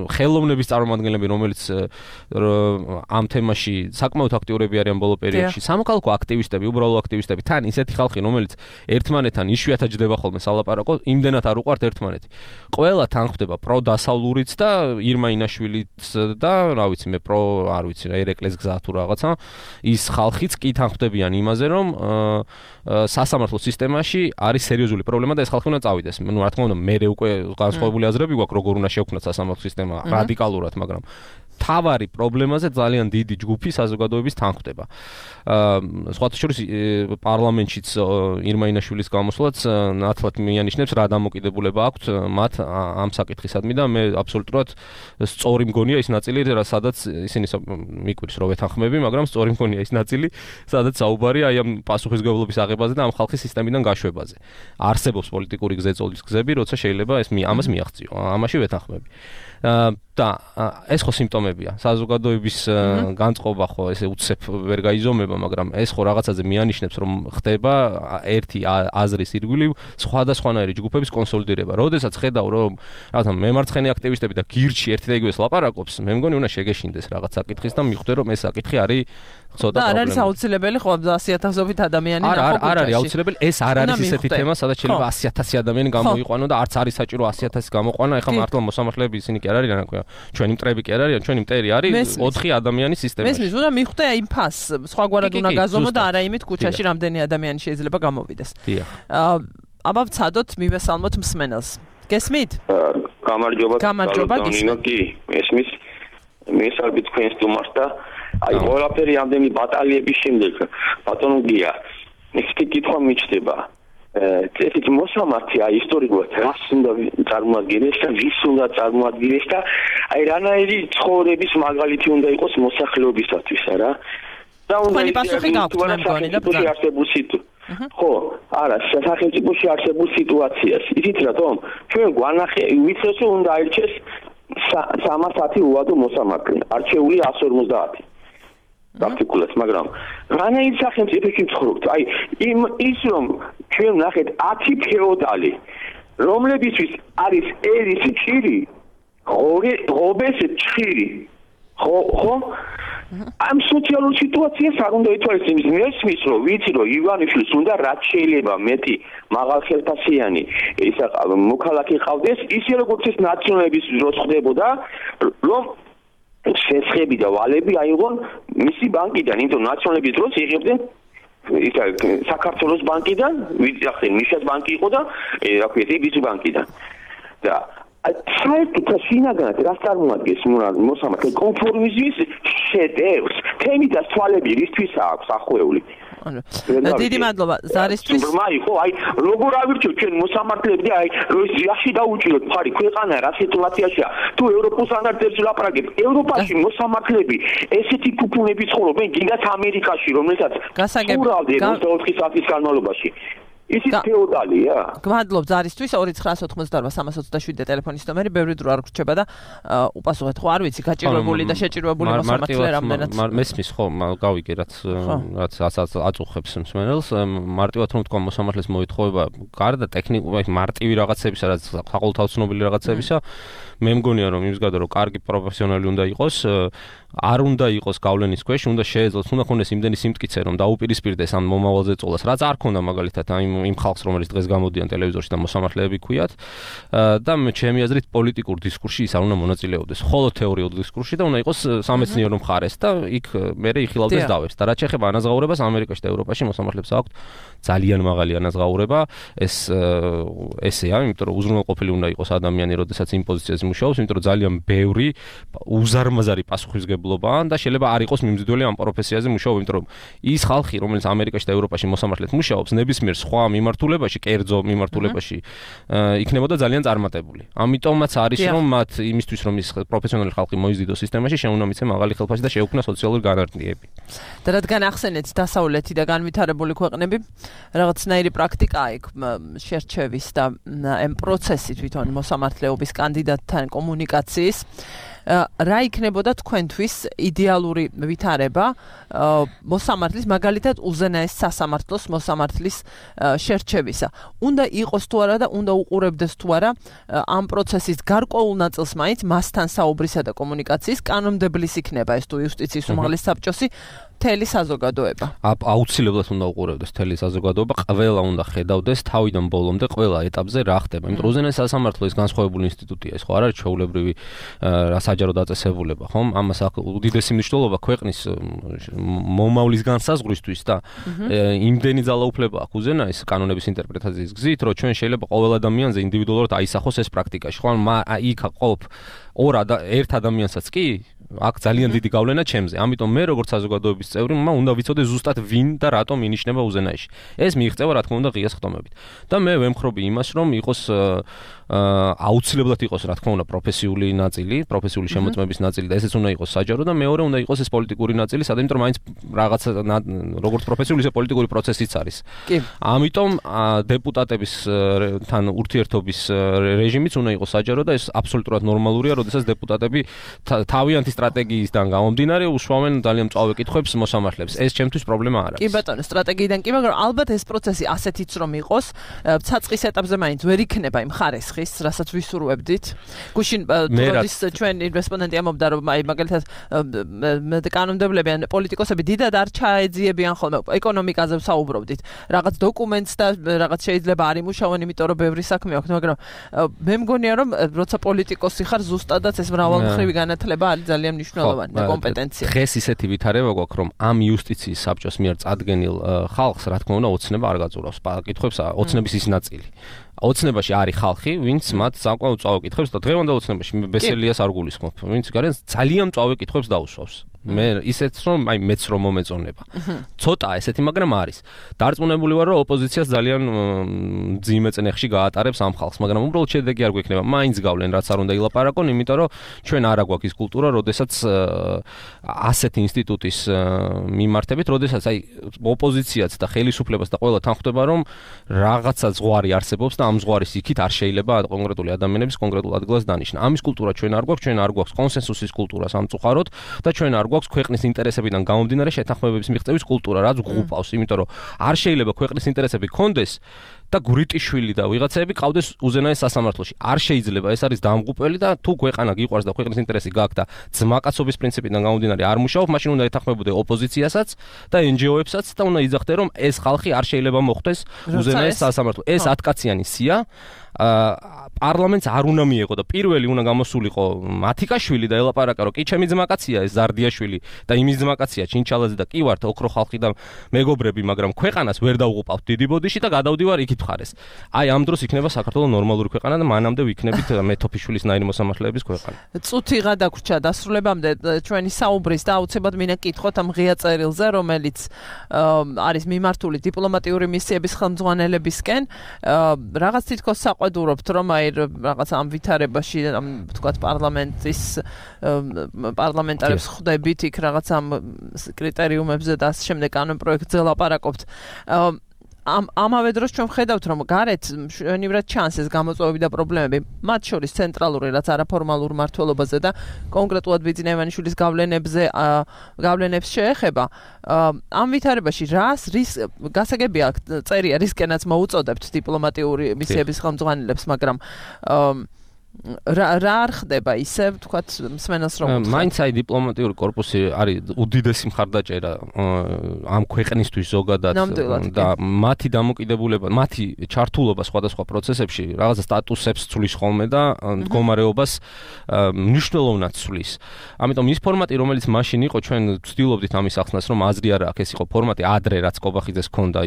ხელოვნების წარმომადგენლები, რომელიც ამ თემაში საკმაოდ აქტიურები არიან ბოლო პერიოდში, სამოქალაქო აქტივისტები, უბრალო აქტივისტები, თან ისეთი ხალხი, რომელიც ერთმანეთთან იშვიათად ჯდება ხოლმე სალაპარაკო, იმდენად არ უყვართ ერთმანეთი. ყველა თან ხდება პროდასავლურიც და ირმა ინაშვილიც და რა ვიცი მე პრო არ ვიცი რა ერეკლეს გზა თუ რაღაცა ის ხალხიც კი თან ხდებიან იმაზე რომ სასამართლო სისტემაში არის სერიოზული პრობლემა და ეს ხალხი უნდა წავიდეს. ნუ რა თქმა უნდა მე უკვე განსხვავებული აზრები გვაქვს როგორ უნდა შევქმნათ სასამართლო სისტემა რადიკალურად, მაგრამ თავარი პრობლემაზე ძალიან დიდი ჯგუფი საზოგადოების თან ხდება. სხვათა შორის პარლამენტშიც ირმა ინაშვილის გამოსვლაც ნათლად მიანიშნებს რა დამოკიდებულება აქვთ მათ ამ საკითხისადმი და მე აბსოლუტურად სწორი მგონია ის ნაწილი, სადაც ისინი მიკვირს რომ ვეთანხმები, მაგრამ სწორი მგონია ის ნაწილი, სადაც საუბარია აი ამ პასუხისმგებლობის აღებაზე და ამ ხალხის სისტემიდან გაშვებაზე. არსებობს პოლიტიკური გზეწოლის გზები, როცა შეიძლება ეს ამას მიაღწიო. ამაში ვეთანხმები. და ეს ხო სიმპტომებია. საზოგადოების განწყობა ხო ესე უცებ ვერ გაიზომება, მაგრამ ეს ხო რაღაცაზე მიანიშნებს, რომ ხდება ერთი აზრის ირგვლივ სხვადასხვანაირი ჯგუფების კონსოლიდირება. როდესაც ხედავ, რომ რაღაცა მემარცხენე აქტივისტები და გირჩი ერთი და იგივეს ლაპარაკობს, მე მგონი უნდა შეგეშინდეს რაღაც საკითხის და მიხვდე, რომ ეს საკითხი არის ცოტა პრობლემა. და არ არის აუცილებელი ხო ასი ათასობით ადამიანი ნახო კუჩაში. არ არის აუცილებელი, ეს არ არის ისეთი თემა, სადაც შეიძლება ასი ათასი ადამიანი გამოიყვანო და არც არის საჭირო ასი ათასი გამოყვანა. ეხლა მართლა მოსამართლეები ისინი კი არ არიან, აკვია. ჩვენი მტრები კი არ არიან, ჩვენი მტერი არის ოთხი ადამიანის სისტემაში. მესმის, უნდა მიხვდე იმ ფას, სხვაგვარად უნდა გაზომო და არა იმით კუჩაში რამდენი ადამიანი შეიძლება გამოვიდეს. დიახ. აბა ვცადოთ, მივესალმოთ მსმენელს. გესმით? გამარჯობა. გამარჯობა, გისმენთ. კი, ესმის. მესალმებით თქვენს სტუმარს და აი ყველაფერი ამდენი ბატალიების შემდეგ ბატონო გია, ერთი კითხვა მიჩნდება. ესეთი მოსამართი აი ისტორიულად რას უნდა წარმოადგინოს და ვის უნდა წარმოადგინოს და აი რანაირი ცხოვრების მაგალითი უნდა იყოს მოსახლეობისათვის, არა? და უნდა ისე ხო, არა, სახელმწიფოში არსებულ სიტუაციას. იცით რატომ? ჩვენ გვანახე, ვიცით რომ უნდა აირჩეს სამას ათი უადო მოსამართლე, არჩეული εκατს ორმოცდაათი. პრაქტიკულად, მაგრამ რანაირ სახელმწიფოში ვცხოვრობთ? აი, იმ ის რომ ჩვენ ნახეთ ათი ფეოდალი, რომლებისთვის არის ერის ჭირი, ღობეს ჭირი. ხო, ხო? ამ სოციალურ სიტუაციას არ უნდა ითვალისწინოს. მესმის რომ ვიცი რომ ივანიშვილს უნდა რაც შეიძლება მეტი მაღალხელფასიანი ისა მოქალაქე ყავდეს, ისე როგორც ეს ნაციონალების დროს ხდებოდა, რომ შესხები და ვალები აიღონ მისი ბანკიდან, იმიტომ ნაციონალების დროს იღებდნენ ისა საქართველოს ბანკიდან, ვიძახე მიშას ბანკი იყო და რა ქვია, იბის ბანკიდან. და საერთოდ შინაგანად რას წარმოადგენს მოსამართლე კონფორმიზმის შედევრს, თემი და თვალები რისთვის აქვს ახვეული. ანუ დიდი მადლობა ზარისთვის. ბრმა იყო, აი როგორ ავირჩიოთ ჩვენ მოსამართლეები და აი რომ რაში დაუჭიროთ ფარი ქვეყანა რა სიტუაციაშია. თუ ევროპულ სტანდარტებს ვლაპარაკებთ, ევროპაში მოსამართლეები ესეთი ფუფუნები ცხოვრობენ, გინდათ ამერიკაში, რომელსაც გასაგები ოცდაოთხი საათის განმავლობაში. ისიც ფეოდალია. გმადლობ ზარისთვის ორი ცხრაასი ოცდაოთხ სამას ოცდაშვიდი დეტელეფონის ნომერი, ბევრი დრო არ გრჩება და უპასუხეთ ხო არ ვიცი, გაჭირვებული და შეჭირვებული მოსამართლე რამდენად. მესმის ხო, გავიგე რაც რაც აწუხებს მსმენელს, მარტივად რომ თქვა მოსამართლეს მოითხოვება გარდა ტექნიკური მარტივი რაღაცებისა, რაც საყოველთაოდ ცნობილი რაღაცებისა, მე მგონია რომ იმის გარდა რომ კარგი პროფესიონალი უნდა იყოს, არ უნდა იყოს გავლენის ქვეშ, უნდა შეეძლოს, უნდა ქონდეს იმდენი სიმტკიცე რომ დაუპირისპირდეს ამ მომავალზე წოლას, რაც არ ქონდა მაგალითად იმ იმ ხალხს, რომელიც დღეს გამოდიან ტელევიზორში და მოსამართლეები ქვიათ და მე ჩემი აზრით პოლიტიკურ დისკურსში ის არ უნდა მონაწილეობდეს, ხოლო თეორიულ დისკურსში და უნდა იყოს სამეცნიერო მხარეს და იქ მე იხილავდეს დავებს და რაც შეეხება ანაზღაურებას ამერიკაში და ევროპაში მოსამართლეებს აქვთ ძალიან მაღალი ანაზღაურება, ეს ესეა, იმიტომ რომ უზრუნველყოფილი უნდა იყოს ადამიანი, როდესაც იმ პოზიციაზე მუშაობს, იმიტომ რომ ძალიან ბევრი უზარმაზარი პასუხისმგებლობაა და შეიძლება არ იყოს მიმზიდველი ამ პროფესიაზე მუშაობა, იმიტომ რომ ის ხალხი, რომელიც ამერიკაში და ევროპაში მოსამართლედ მუშაობს, ნებისმიერ სხვა მიმართულებაში, კერძო მიმართულებაში, იქნებოდა ძალიან წარმატებული. ამიტომაც არის რომ მათ იმისთვის რომ ის პროფესიონალი ხალხი მოიზიდოს სისტემაში, შეუნა მიცე მაღალი ხელფასი და შეუქმნა სოციალური განარტყიები. და რადგან ახსენეთ დასავლეთი და განვითარებული ქვეყნები, რაღაცნაირი პრაქტიკაა იქ შერჩევის და ამ პროცესი თვითონ მოსამართლეობის კანდიდატთან კომუნიკაციის. რა იქნებოდა თქვენთვის იდეალური ვითარება მოსამართლის, მაგალითად უზენაეს სასამართლოს მოსამართლის შერჩევისა? უნდა იყოს თუ არა და უნდა უყურებდეს თუ არა ამ პროცესის გარკვეულ ნაწილს მაინც მასთან საუბრისა და კომუნიკაციის კანონმდებლის იქნება ეს თუ იუსტიციის უმაღლესი საბჭოსი მთელი საზოგადოება. აუცილებლად უნდა უყურებდეს მთელი საზოგადოება, ყველა უნდა ხედავდეს თავიდან ბოლომდე ყველა ეტაპზე რა ხდება. იმიტომ რომ უზენაეს სასამართლო ის განსხვავებული ინსტიტუტია, ეს ხო არ არის ჩვეულებრივი საჯარო დაწესებულება, ხომ? ამას აქვს უდიდესი მნიშვნელობა ქვეყნის მომავლის განსაზღვრისთვის და იმდენი ძალაუფლება აქვს უზენაეს კანონების ინტერპრეტაციის გზით, რომ ჩვენ შეიძლება ყოველ ადამიანზე ინდივიდუალურად აისახოს ეს პრაქტიკაში. ხო, იქ ყოფ ორ ერთ ადამიანსაც კი აქ ძალიან დიდი გავლენა ჩემზე. ამიტომ მე როგორც საზოგადოების წევრი, მე უნდა ვიცოდე ზუსტად ვინ და რატომ ინიშნება უზენაეში. ეს მიიღწევა რა თქმა უნდა ღია ხტომებით. და მე ვემხრობი იმას, რომ იყოს აუცილებლად იყოს რა თქმა უნდა პროფესიული ნაწილი, პროფესიული შემოწმების ნაწილი და ესეც უნდა იყოს საჯარო და მეორე უნდა იყოს ეს პოლიტიკური ნაწილი, სადაც იმიტომ რომ მაინც რაღაც როგორც პროფესიული ისე პოლიტიკური პროცესიც არის. კი. ამიტომ დეპუტატების თან ურთიერთობის რეჟიმიც უნდა იყოს საჯარო და ეს აბსოლუტურად ნორმალურია, როდესაც დეპუტატები თავიანთი სტრატეგიისგან გამომდინარე უშუალოდ ძალიან მწვავე კითხვებს მოსამართლებს. ეს ჩემთვის პრობლემა არ არის. კი ბატონო, სტრატეგიიდან კი, მაგრამ ალბათ ეს პროცესი ასეთიც რომ იყოს, ცაწყის ეტაპზე მაინც ვერ იქნება იმ ხარესხის, რასაც ვისურვებდით. გუშინ როდის ჩვენი რესპონდენტი ამბობდა, რომ აი მაგალითად კანონმდებლები ან პოლიტიკოსები დიდად არ ჩაეძიებიან ხოლმე ეკონომიკაზე ვსაუბრობდით. რაღაც დოკუმენტს და რაღაც შეიძლება არ იმუშავონ, იმიტომ რომ ბევრი საქმე აქვს, მაგრამ მე მგონია რომ როცა პოლიტიკოსი ხარ, ზუსტადაც ეს მრავალმხრივი განათლება არის ძალიან მნიშვნელოვანი და კომპეტენცია. დღეს ისეთი ვითარება გვაქვს, რომ ამ იუსტიციის საბჭოს მიერ წარდგენილ ხალხს, რა თქმა უნდა, ოცნება არ გაწურავს. კითხვებს ოცნების ის ნაწილი. ოცნებაში არის ხალხი, ვინც მათ საკმაოდ მწვავე კითხვებს და დღევანდელ ოცნებაში მე ბესელიას არ გულისხმობ, ვინც გარენ ძალიან მწვავე კითხვებს დაუსვავს. მე ისეთ რომ აი მეც რომ მომეწონება. ცოტა ესეთი, მაგრამ არის. დარწმუნებული ვარ, რომ ოპოზიციას ძალიან მძიმე წნეხში გაატარებს ამ ხალხს, მაგრამ უბრალოდ შედეგი არ გვექნება. მაინც გავლენ, რაც არ უნდა ილაპარაკონ, იმიტომ რომ ჩვენ არა გვაქვს ის კულტურა, როდესაც ასეთი ინსტიტუტის მიმართებით, როდესაც აი ოპოზიციაც და ხელისუფლებას და ყველა თან ხვდება, რომ რაღაცა ზღვარი არსებობს და ამ ზღვარის იქით არ შეიძლება კონკრეტული ადამიანების კონკრეტულ ადგილას დანიშნა. ამის კულტურა ჩვენ არ გვაქვს, ჩვენ არ გვაქვს კონსენსუსის კულტურა სამწუხაროდ და ჩვენ არ გვაქვს ქვეყნის ინტერესებიდან გამომდინარე შეთანხმებების მიღწევის კულტურა, რაც გვყავს, იმიტომ რომ არ შეიძლება ქვეყნის ინტერესები გქონდეს და გურიტიშვილი და ვიღაცები ყავდეს უზენაეს სასამართლოში. არ შეიძლება, ეს არის დამღუპველი და თუ ქვეყანა გიყვარს და ქვეყნის ინტერესი გაქვს და ძმაკაცობის პრინციპიდან გამომდინარე არ მუშაობ, მაშინ უნდა ეთანხმებოდე ოპოზიციასაც და εν ჯი ო-ებსაც და უნდა იძახდე, რომ ეს ხალხი არ შეიძლება მოხვდეს უზენაეს სასამართლო. ეს ათკაციანი სია პარლამენტს არ უნდა მიეღო და პირველი უნდა გამოსულიყო მათიკაშვილი და ელაპარაკა, რომ კი ჩემი ძმაკაცია ეს ზარდიაშვილი და იმის ძმაკაცია ჩინჩალაძე და კი ვართ ოქრო ხალხი და მეგობრები, მაგრამ ქვეყანას ვერ დავუყავთ დიდი ბოდიში და გადავდივარ იქით ხარეს. აი ამ დროს იქნება საქართველოს ნორმალური ქვეყანა და მანამდე ვიქნებით მეთოფიშვილის ნაირი მოსამართლეების ქვეყანა. წუთი გადაგვრჩა დასრულებამდე ჩვენი საუბრის და აუცილებლად მინდა კითხოთ ამ ღია წერილზე, რომელიც არის მიმართული დიპლომატიური მისიების ხელმძღვანელებისკენ. რაღაც თითქოს საყვედურობთ, რომ აი რაღაც ამ ვითარებაში, ამ თქვათ პარლამენტის პარლამენტარებს ხვდებით იქ რაღაც ამ კრიტერიუმებზე და ამ შემდეგ კანონ პროექტზე ლაპარაკობთ. ამ ამავე დროს ჩვენ ვხედავთ რომ გარეთ მშვენივრად ჩანს ეს გამოწვევები და პრობლემები მათ შორის ცენტრალური რაც არაფორმალურ მმართველობაზე და კონკრეტულად ბიძინა ივანიშვილის გავლენებზე გავლენებს შეეხება ამ ვითარებაში რას რის გასაგებია წერია რისკენაც მოუწოდებთ დიპლომატიური მისიების ხელმძღვანელებს მაგრამ რა რა არ ხდება ისე ვთქვათ მსმენელს რომ მაინც აი დიპლომატიური корпуსი არის უდიდესი მხარდაჭერა ამ ქვეყნისთვის ზოგადად და მათი დამოკიდებულება მათი ჩართულობა სხვადასხვა პროცესებში რაღაცა სტატუსებს ცვლის ხოლმე და მდგომარეობას მნიშვნელოვნად ცვლის ამიტომ ის ფორმატი რომელიც მაშინ იყო ჩვენ ვცდილობდით ამის ახსნას რომ აზრი არ აქვს ეს იყო ფორმატი ადრე რაც კობახიძეს ჰქონდა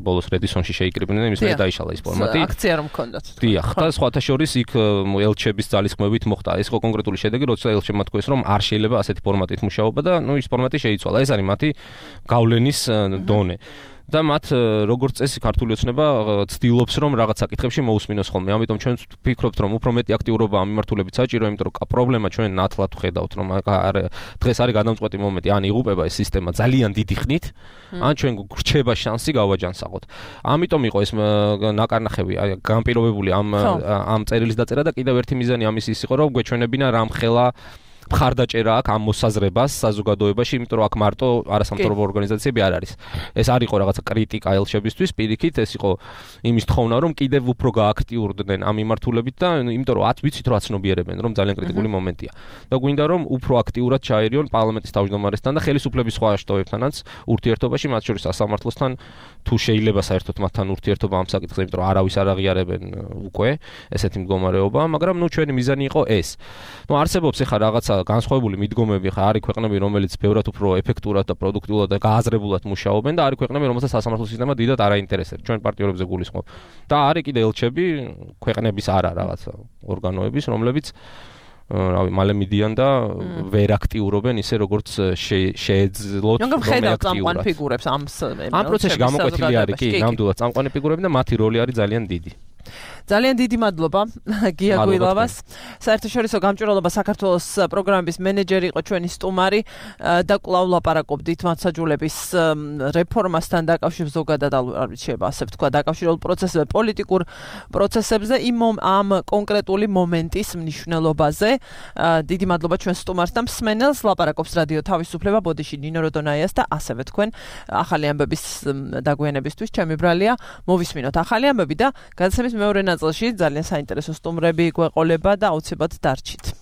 ბოლოს რედისონში შეიკრიბნენ იმის მე დაიშალა ის ფორმატი აქცია რომ ჰქონდათ დიახ და სხვათა შორის იქ ელჩების ძალისხმევით მოხდა ეს იყო კონკრეტული შედეგი როცა ელჩებმა თქვეს რომ არ შეიძლება ასეთი ფორმატით მუშაობა და ნუ ის ფორმატი შეიცვალა ეს არის მათი გავლენის დონე და მათ როგორც წესი ქართული ოცნება ცდილობს რომ რაღაც საკითხებში მოусმინოს ხოლმე ამიტომ ჩვენ ვფიქრობთ რომ უფრო მეტი აქტიურობა ამ მიმართულებით საჭიროა იმიტომ რომ პრობლემა ჩვენ ნათლად ვხედავთ რომ დღეს არის გადამწყვეტი მომენტი ან იღუპება ეს სისტემა ძალიან დიდი ხნით ან ჩვენ გრჩება შანსი გავაჯანსაღოთ ამიტომ იყო ეს ნაკარნახები განპირობებული ამ ამ წერილის დაწერა და კიდევ ერთი მიზანი ამის ის იყო რომ გვეჩვენებინა რამხელა მხარდაჭერა აქვს ამ მოსაზრებას საზოგადოებაში, იმიტომ რომ აქ მარტო არასამთავრობო ორგანიზაციები არ არის. ეს არ იყო რაღაცა კრიტიკა ელჩებისთვის, პირიქით, ეს იყო იმის თხოვნა, რომ კიდევ უფრო გააქტიურდნენ ამ მიმართულებით და იმიტომ რომ ათ ვიცით რომ აცნობიერებენ, რომ ძალიან კრიტიკული მომენტია. და გვინდა რომ უფრო აქტიურად ჩაერიონ პარლამენტის თავმჯდომარესთან და ხელისუფლების სხვა შტოებთანაც ურთიერთობაში, მათ შორის სასამართლოსთან, თუ შეიძლება საერთოდ მათთან ურთიერთობა ამ საკითხზე, იმიტომ რომ არავის არ აღიარებენ უკვე ესეთი მდგომარეობა, მაგრამ ნუ ჩვენი მიზანი იყო ეს. ნუ არსებობს ახლა რაღაცა განსხვავებული მიდგომები ხა არის ქვეყნები რომელიც ბევრად უფრო ეფექტურად და პროდუქტიულად და გააზრებულად მუშაობენ და არის ქვეყნები რომელსაც სასამართლო სისტემა დიდად არ აინტერესებს ჩვენ პარტიორებზე გულისხმობ და არის კიდე ელჩები ქვეყნების არა რაღაცა ორგანოების რომლებიც რავი მალე მიდიან და ვერ აქტიურობენ ისე როგორც შეეძლოთ რომ აქტიურად ფიგურებს ამ ამ პროცესში გამოკვეთილი არის კი ნამდვილად წამყვანი ფიგურები და მათი როლი არის ძალიან დიდი ძალიან დიდი მადლობა გია გუილავას. საერთაშორისო გამჭვირვალობა საქართველოს პროგრამების მენეჯერი იყო ჩვენი სტუმარი და კვლავ ლაპარაკობდით მართლმსაჯულების რეფორმასთან დაკავშირებით ზოგადად არ ვიცი შეიძლება ასე ვთქვა დაკავშირებულ პროცესებზე პოლიტიკურ პროცესებზე იმ ამ კონკრეტული მომენტის მნიშვნელობაზე. დიდი მადლობა ჩვენ სტუმარს და მსმენელს ლაპარაკობს რადიო თავისუფლება ბოდიში ნინო როდონაიას და ასევე თქვენ ახალი ამბების დაგვიანებისთვის ჩემი ბრალია მოვისმინოთ ახალი ამბები და განსაკუთრებით მეორე ნაწილში ძალიან საინტერესო სტუმრები გვეყოლება და აუცილებლად დარჩით.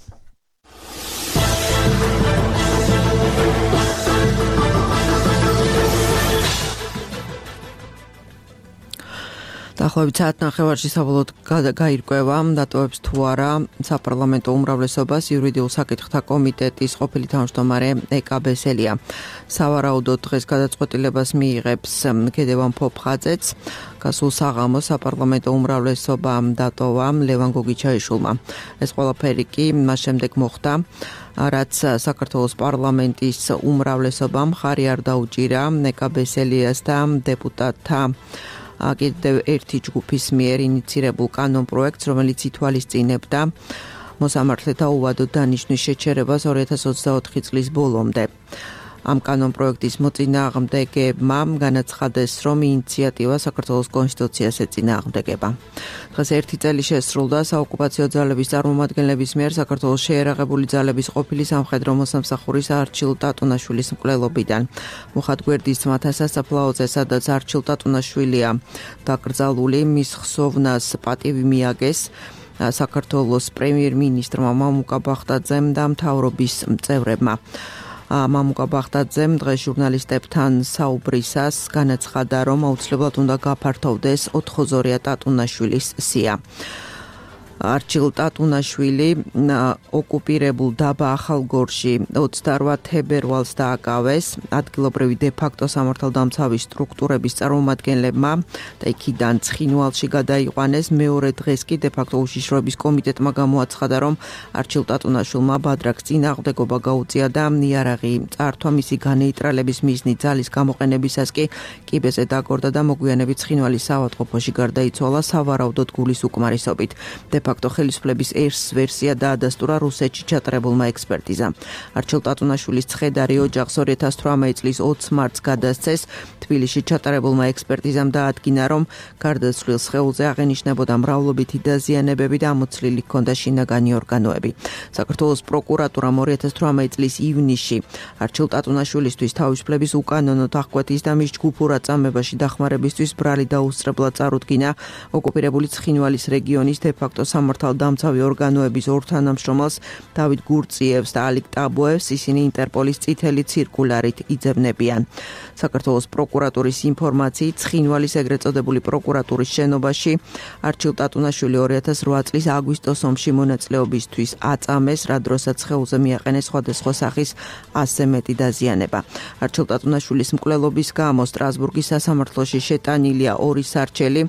დაახლოებით საათ ნახევარში საბოლოოდ გაირკვევა დატოვებს თუ არა საპარლამენტო უმრავლესობას იურიდიულ საკითხთა კომიტეტის ყოფილი თავმჯდომარე ეკა ბესელია. სავარაუდოდ დღეს გადაწყვეტილებას მიიღებს ქედევან ფოფხაძეც. გასულ საღამოს საპარლამენტო უმრავლესობა დატოვა ლევან გოგიჩაიშვილმა. ეს ყველაფერი კი მას შემდეგ მოხდა რაც საქართველოს პარლამენტის უმრავლესობამ ხარი არ დაუჭირა ეკა ბესელიას და დეპუტატთა კიდევ ერთი ჯგუფის მიერ ინიცირებულ კანონპროექტს, რომელიც ითვალისწინებდა მოსამართლეთა უვადო დანიშნვის შეჩერებას ორი ათას ოცდაოთხი წლის ბოლომდე. ამ კანონპროექტის მოწინააღმდეგებმა განაცხადეს, რომ ინიციატივა საქართველოს კონსტიტუციას ეწინააღმდეგება. დღეს ერთი წელი შესრულდა საოკუპაციო ძალების წარმომადგენლების მიერ საქართველოს შეერაღებული ძალების ყოფილი სამხედრო მოსამსახურის არჩილ ტატუნაშვილის მკვლელობიდან. მუხად გვერდის ძმათა სასაფლაოზე, სადაც არჩილ ტატუნაშვილია დაკრძალული, მის ხსოვნას პატივი მიაგეს საქართველოს პრემიერ-მინისტრმა მამუკა ბახტაძემ და მთავრობის წევრებმა. მამუკა ბახტაძემ დღეს ჟურნალისტებთან საუბრისას განაცხადა, რომ აუცილებლად უნდა გაფართოვდეს ოთხოზორია ტატუნაშვილის სია. არჩილ ტატუნაშვილი ოკუპირებულ დაბა ახალგორში ოცდაორ თებერვალს დააკავეს ადგილობრივი დე-ფაქტო სამართალდამცავი სტრუქტურების წარმომადგენლებმა და იქიდან ცხინვალში გადაიყვანეს. მეორე დღეს კი დე-ფაქტო უშიშროების კომიტეტმა გამოაცხადა, რომ არჩილ ტატუნაშვილმა ბადრაკს წინააღმდეგობა გაუწია და იარაღი წართვა მისი განეიტრალების მიზნით ძალის გამოყენებისას კი კიბეზე დაგორდა და მოგვიანებით ცხინვალის საავადმყოფოში გარდაიცვალა სავარაუდოდ გულის უკმარისობით. დე-ფაქტო ხელისუფლების ერთ ვერსია დაადასტურა რუსეთში ჩატარებულმა ექსპერტიზამ. არჩილ ტატუნაშვილის ცხედარი ოჯახს ორი ათას თვრამეტი წლის ოცი მარტს გადასცეს. თბილისში ჩატარებულმა ექსპერტიზამ დაადგინა, რომ გარდაცვლილ სხეულზე აღენიშნებოდა მრავლობითი დაზიანებები და ამოცლილი ჰქონდა შინაგანი ორგანოები. საქართველოს პროკურატურამ ორი ათას თვრამეტი წლის ივნისში არჩილ ტატუნაშვილისთვის თავისუფლების უკანონო დახკვეთის და მის ჯგუფურ აწამებაში დახმარებისთვის ბრალი დაუსწრებლად წარუდგინა ოკუპირებული ცხინვალის რეგიონის დე-ფაქტო სამართალდამცავი ორგანოების ორ თანამშრომელს დავით გურწიევს და ალიკ ტაბოევს ისინი ინტერპოლის წითელი ცირკულარით იძებნებიან. საქართველოს პროკურატურის ინფორმაციით ცხინვალის ეგრეთ წოდებული პროკურატურის შენობაში არჩილ ტატუნაშვილი ორი ათას რვა წლის აგვისტოს ომში მონაწილეობისთვის აწამეს, რა დროსაც სხეულზე მიაყენეს სხვადასხვა სახის ასზე მეტი დაზიანება. არჩილ ტატუნაშვილის მკვლელობის გამო სტრასბურგის სასამართლოში შეტანილია ორი სარჩელი,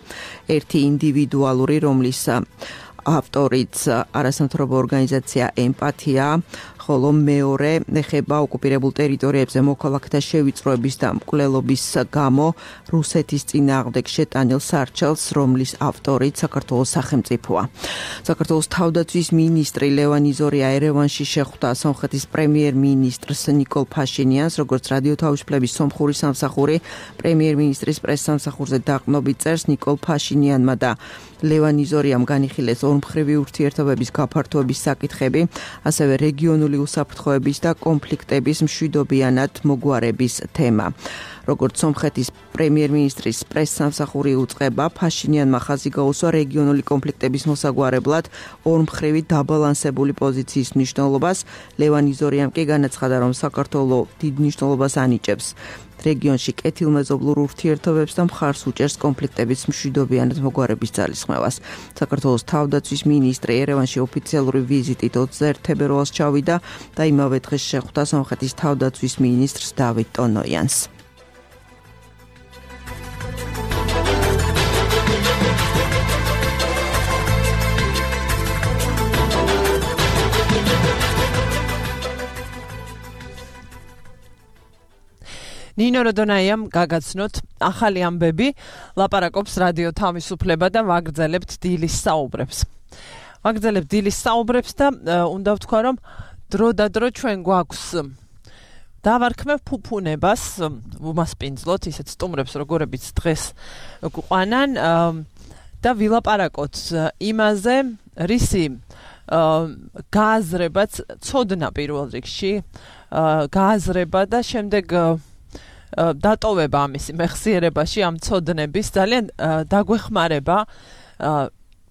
ერთი ინდივიდუალური, რომლის ავტორიც არასამთავრობო ორგანიზაცია ემპათია, ხოლო მეორე ეხება ოკუპირებულ ტერიტორიებზე მოქალაქეთა შევიწროების და მკვლელობის გამო რუსეთის წინააღმდეგ შეტანილ სარჩელს, რომლის ავტორიც საქართველოს სახელმწიფოა. საქართველოს თავდაცვის მინისტრი ლევან იზორია ერევანში შეხვდა სომხეთის პრემიერ-მინისტრს ნიკოლ ფაშინიანს, როგორც რადიო თავისუფლების სომხური სამსახური პრემიერ-მინისტრის პრეს-სამსახურზე დაყრდნობით წერს, ნიკოლ ფაშინიანმა და ლევან იზორიამ განიხილეს ორმხრივი ურთიერთობების გაფართოების საკითხები, ასევე რეგიონული უსაფრთხოების და კონფლიქტების მშვიდობიანად მოგვარების თემა. როგორც სომხეთის პრემიერ-მინისტრის პრეს-სამსახური უწყება, ფაშინიანმა ხაზი გაუსვა რეგიონული კონფლიქტების მოსაგვარებლად ორმხრივი დაბალანსებული პოზიციის მნიშვნელობას. ლევან იზორიამ კი განაცხადა, რომ საქართველო დიდ მნიშვნელობას ანიჭებს რეგიონში კეთილმეზობლურ ურთიერთობებს და მხარს უჭერს კონფლიქტების მშვიდობიანად მოგვარების ძალისხმევას. საქართველოს თავდაცვის მინისტრი ერევანში ოფიციალური ვიზიტით ოცდაერთი თებერვალს ჩავიდა და იმავე დღეს შეხვდა სომხეთის თავდაცვის მინისტრს დავით ტონოიანს. ნინო როდონაიამ გაგაცნოთ ახალი ამბები, ლაპარაკობს რადიო თავისუფლება და ვაგრძელებთ დილის საუბრებს. ვაგრძელებთ დილის საუბრებს და უნდა ვთქვა, რომ დრო და დრო ჩვენ გვაქვს დავარქმევ ფუფუნებას, ვუმასპინძლოთ ისეთ სტუმრებს, როგორებიც დღეს გვყვანან და ვილაპარაკოთ იმაზე, რისი გააზრებაც ცოდნა პირველ რიგში, გააზრება და შემდეგ დატოვება ამისი მეხსიერებაში ამ ცოდნების ძალიან დაგვეხმარება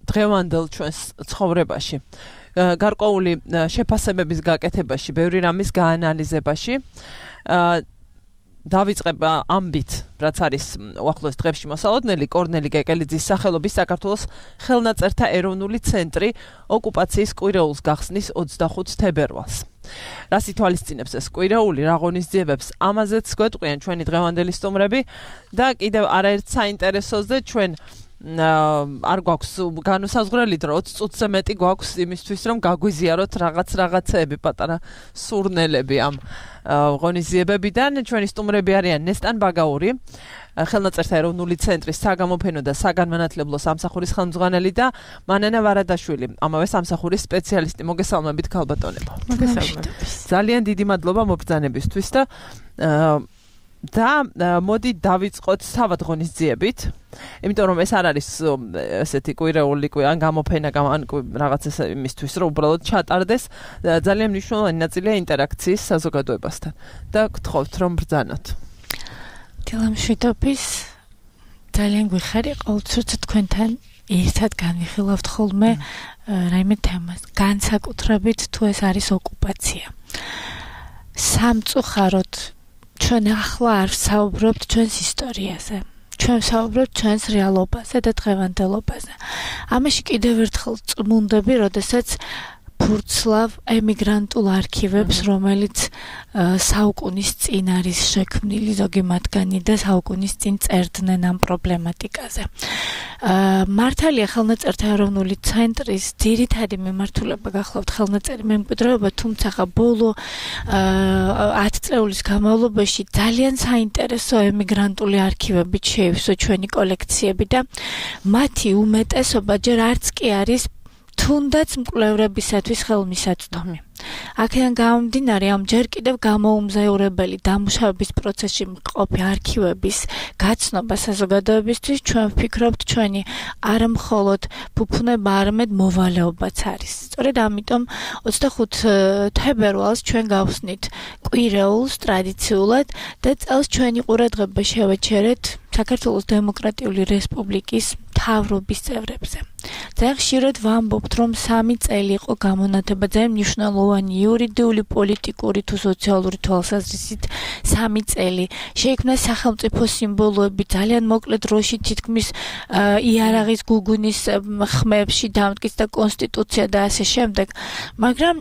დღევანდელ ჩვენს ცხოვრებაში. გარკვეული შეფასებების გაკეთებაში, ბევრი რამის გაანალიზებაში დავიწყებ ამბით, რაც არის უახლოეს დღეებში მოსალოდნელი, კორნელი კეკელიძის სახელობის საქართველოს ხელნაწერთა ეროვნული ცენტრი ოკუპაციის კვირეულს გახსნის ოცდახუთ თებერვალს. რას ითვალისწინებს ეს კვირეული, რა ღონისძიებებს, ამაზეც გვეტყვიან ჩვენი დღევანდელი სტუმრები და კიდევ არაერთ საინტერესოზე ჩვენ არ გვაქვს განუსაზღვრელი დრო, ოცი წუთზე მეტი გვაქვს იმისთვის, რომ გაგვიზიაროთ რაღაც რაღაცეები, პატარა სურნელები ამ ღონისძიებებიდან. ჩვენი სტუმრები არიან ნესტან ბაგაური, ხელნაწერთა ეროვნული ცენტრის საგამოფენო და საგანმანათლებლო სამსახურის ხელმძღვანელი და მანანა ვარადაშვილი, ამავე სამსახურის სპეციალისტი. მოგესალმებით ქალბატონებო. მოგესალმებით. ძალიან დიდი მადლობა მობრძანებისთვის და და მოდი დავიწყოთ თავად ღონისძიებით, იმიტომ რომ ეს არ არის ესეთი კვირეული ან გამოფენა ან რაღაც ეს იმისთვის, რომ უბრალოდ ჩატარდეს, ძალიან მნიშვნელოვანი ნაწილია ინტერაქციის საზოგადოებასთან და გთხოვთ რომ ბრძანოთ. დილამშვიდობის, ძალიან გვიხარი ყოველთვის თქვენთან ერთად განვიხილავთ ხოლმე რაიმე თემას, განსაკუთრებით თუ ეს არის ოკუპაცია. სამწუხაროდ ჩვენ ახლა არ ვსაუბრობთ ჩვენს ისტორიაზე. ჩვენ ვსაუბრობთ ჩვენს რეალობაზე და დღევანდელობაზე. ამაში კიდევ ერთხელ წმუნდები, როდესაც ფურცლავ ემიგრანტულ არქივებს, რომელიც საუკუნის წინ არის შექმნილი ზოგი მათგანი და საუკუნის წინ წერდნენ ამ პრობლემატიკაზე. მართალია ხელნაწერთა ეროვნული ცენტრის ძირითადი მიმართულება გახლავთ ხელნაწერი მემკვიდრეობა, თუმცა ბოლო ათი წლეულის განმავლობაში ძალიან საინტერესო ემიგრანტული არქივებით შეივსო ჩვენი კოლექციები და მათი უმეტესობა ჯერ არც კი არის თუნდაც მკვლევრებისათვის ხელმისაწვდომი. აქედან გამომდინარე ამ ჯერ კიდევ გამოუმზაურებელი დამუშავების პროცესში მყოფი არქივების გაცნობა საზოგადოებისთვის ჩვენ ვფიქრობთ ჩვენი არა მხოლოდ ფუფუნება, არამედ მოვალეობაც არის. სწორედ ამიტომ ოცდახუთი თებერვალს ჩვენ გავხსნით კვირეულს ტრადიციულად და წელს ჩვენი ყურადღება შევეჩერეთ საქართველოს დემოკრატიული რესპუბლიკის მთავრობის წევრებზე. ძალიან ხშირად ვამბობთ, რომ სამი წელი იყო გამონათება ძალიან მნიშვნელოვანი იურიდიული, პოლიტიკური თუ სოციალური თვალსაზრისით სამი წელი. შეიქმნა სახელმწიფო სიმბოლოები ძალიან მოკლე დროში თითქმის იარაღის გუგუნის ხმებში დამტკიცა კონსტიტუცია და ასე შემდეგ. მაგრამ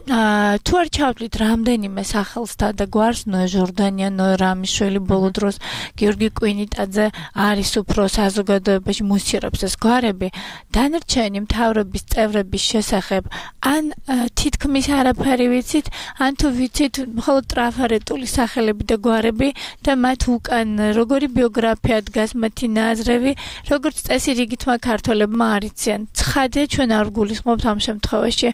თუ არ ჩავთვლით რამდენიმე სახელსთა და გვარს ნოე ჟორდანია, ნოე რამიშვილი ბოლო დროს გიორგი კვინიტაძე არის უფრო საზოგადოებაში მუსცირებს ეს გვარები, დანარჩენი მთავრობის წევრების შესახებ ან თითქმის არაფერი ვიცით, ან თუ ვიცით მხოლოდ ტრაფარეტული სახელები და გვარები და მათ უკან როგორი ბიოგრაფია დგას, მათი ნაზრები, როგორც წესი რიგითმა ქართველებმა არიციან. ცხადია ჩვენ არ გულისხმობთ ამ შემთხვევაში